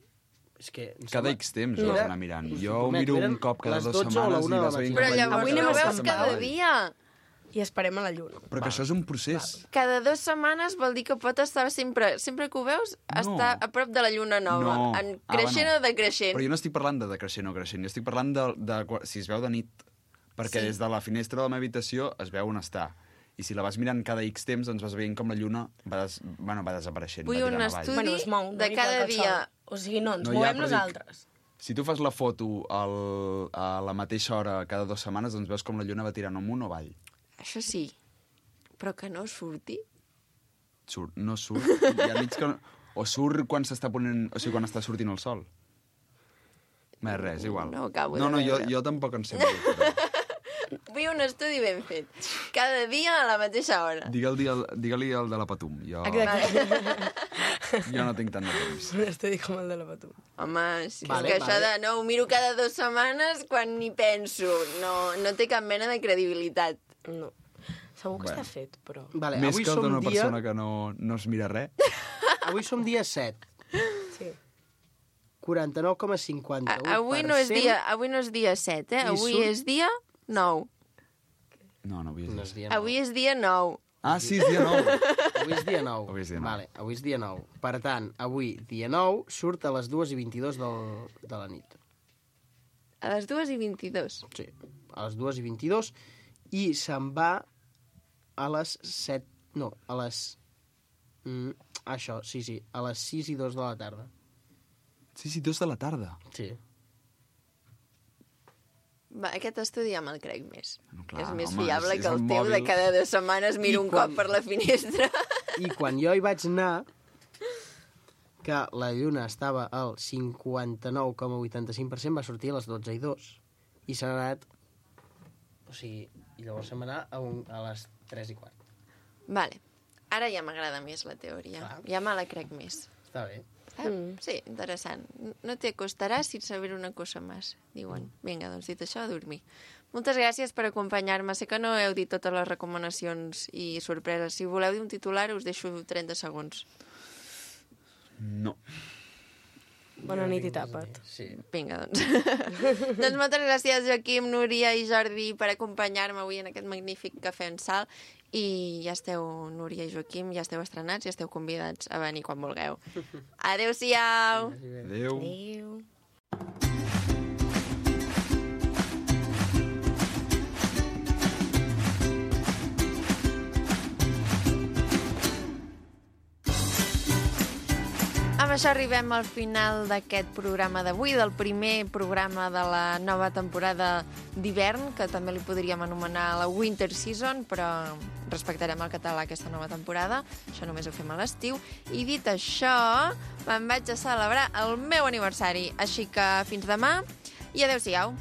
És que... em Cada sembla- X temps No. ho has d'anar mirant. Us Jo ho ho prometo, miro eren un cop cada les dues dotze o la setmanes una i de la vas veient... matinada. Però com la llavors Avui no anem ho a veus Sant cada Pau. dia. I esperem a la lluna. Però que això és un procés. Cada dues setmanes vol dir que pot estar sempre... Sempre que ho veus, No. està a prop de la lluna nova. No. En Ah, creixent bueno. o decreixent. Però jo no estic parlant de decreixent o creixent, jo estic parlant de, de, de si es veu de nit. Perquè Sí. des de la finestra de la meva habitació es veu on està. I si la vas mirant cada X temps, doncs vas veient com la lluna va, des, bueno, va desapareixent. Vull va un tirant avall. estudi Bueno, es mou, no de igual cada que el dia. sol. O sigui, no, ens No, ja, movem però dic- nosaltres. Si tu fas la foto al, a la mateixa hora cada dues setmanes, doncs veus com la lluna va tirant amunt o avall. Això sí. Però que no surti. Surt, no surt. Hi ha nits que... no- O surt quan s'està ponent... O sigui, quan està sortint el sol. Més res, igual. No ho acabo no, de no, jo, veure. jo tampoc en sé molt. Però... Vull un estudi ben fet. Cada dia a la mateixa hora. Digue-li el, digue-li el de la Patum. Jo, jo no tinc tant de temps. Un estudi com el de la Patum. Home, és Vale, que això vale. de... No, ho miro cada dues setmanes quan ni penso. No, no té cap mena de credibilitat. No. Segur que Bueno. està fet, però... Vale, Més avui que el som d'una dia... persona que no, no es mira res. Avui som dia set. Sí. quaranta-nou coma cinquanta-u per cent. Avui no és dia, avui no és dia set, eh? I Avui surt- és dia nou. No, no havia No dit. és dia nou. Avui és dia nou. Ah, sí, és dia nou. Avui és dia nou. Avui és dia nou. Vale, avui és dia nou. Per tant, avui, dia nou, surt a les dues i vint-i-dos del, de la nit. A les dues i vint-i-dos. Sí, a les dues i vint-i-dos. I se'n va a les set... No, a les... Mm, això, sí, sí, a les sis i dos de la tarda. sis i dos de la tarda. Sí. Va, aquest estudi ja me'l crec més. No, clar, és més home, fiable és- és que el el teu de mòbil. cada dues setmanes miro I un quan- cop per la finestra. I quan jo hi vaig anar, que la lluna estava al cinquanta-nou coma vuitanta-cinc per cent, va sortir a les dotze i dos. I s'ha anat... O sigui, i llavors se'm va anar a, un, a les tres i quart. Vale. Ara ja m'agrada més la teoria. Clar. Ja me la crec més. Està bé. Eh? Mm. Sí, interessant. No te acostaràs sin saber una cosa més, diuen. Vinga, doncs dit això, a dormir. Moltes gràcies per acompanyar-me. Sé que no heu dit totes les recomanacions i sorpreses. Si voleu dir un titular, us deixo trenta segons. No. Bona nit i tapa't. Sí. Vinga, doncs. Doncs moltes gràcies, Joaquim, Núria i Jordi, per acompanyar-me avui en aquest magnífic cafè en sal. I ja esteu, Núria i Joaquim, ja esteu estrenats i esteu convidats a venir quan vulgueu. Adéu-siau! Adéu. Adéu. Amb això arribem al final d'aquest programa d'avui, del primer programa de la nova temporada d'hivern, que també li podríem anomenar la Winter Season, però respectarem el català aquesta nova temporada. Això només ho fem a l'estiu. I dit això, me'n vaig a celebrar el meu aniversari. Així que fins demà i adéu-siau.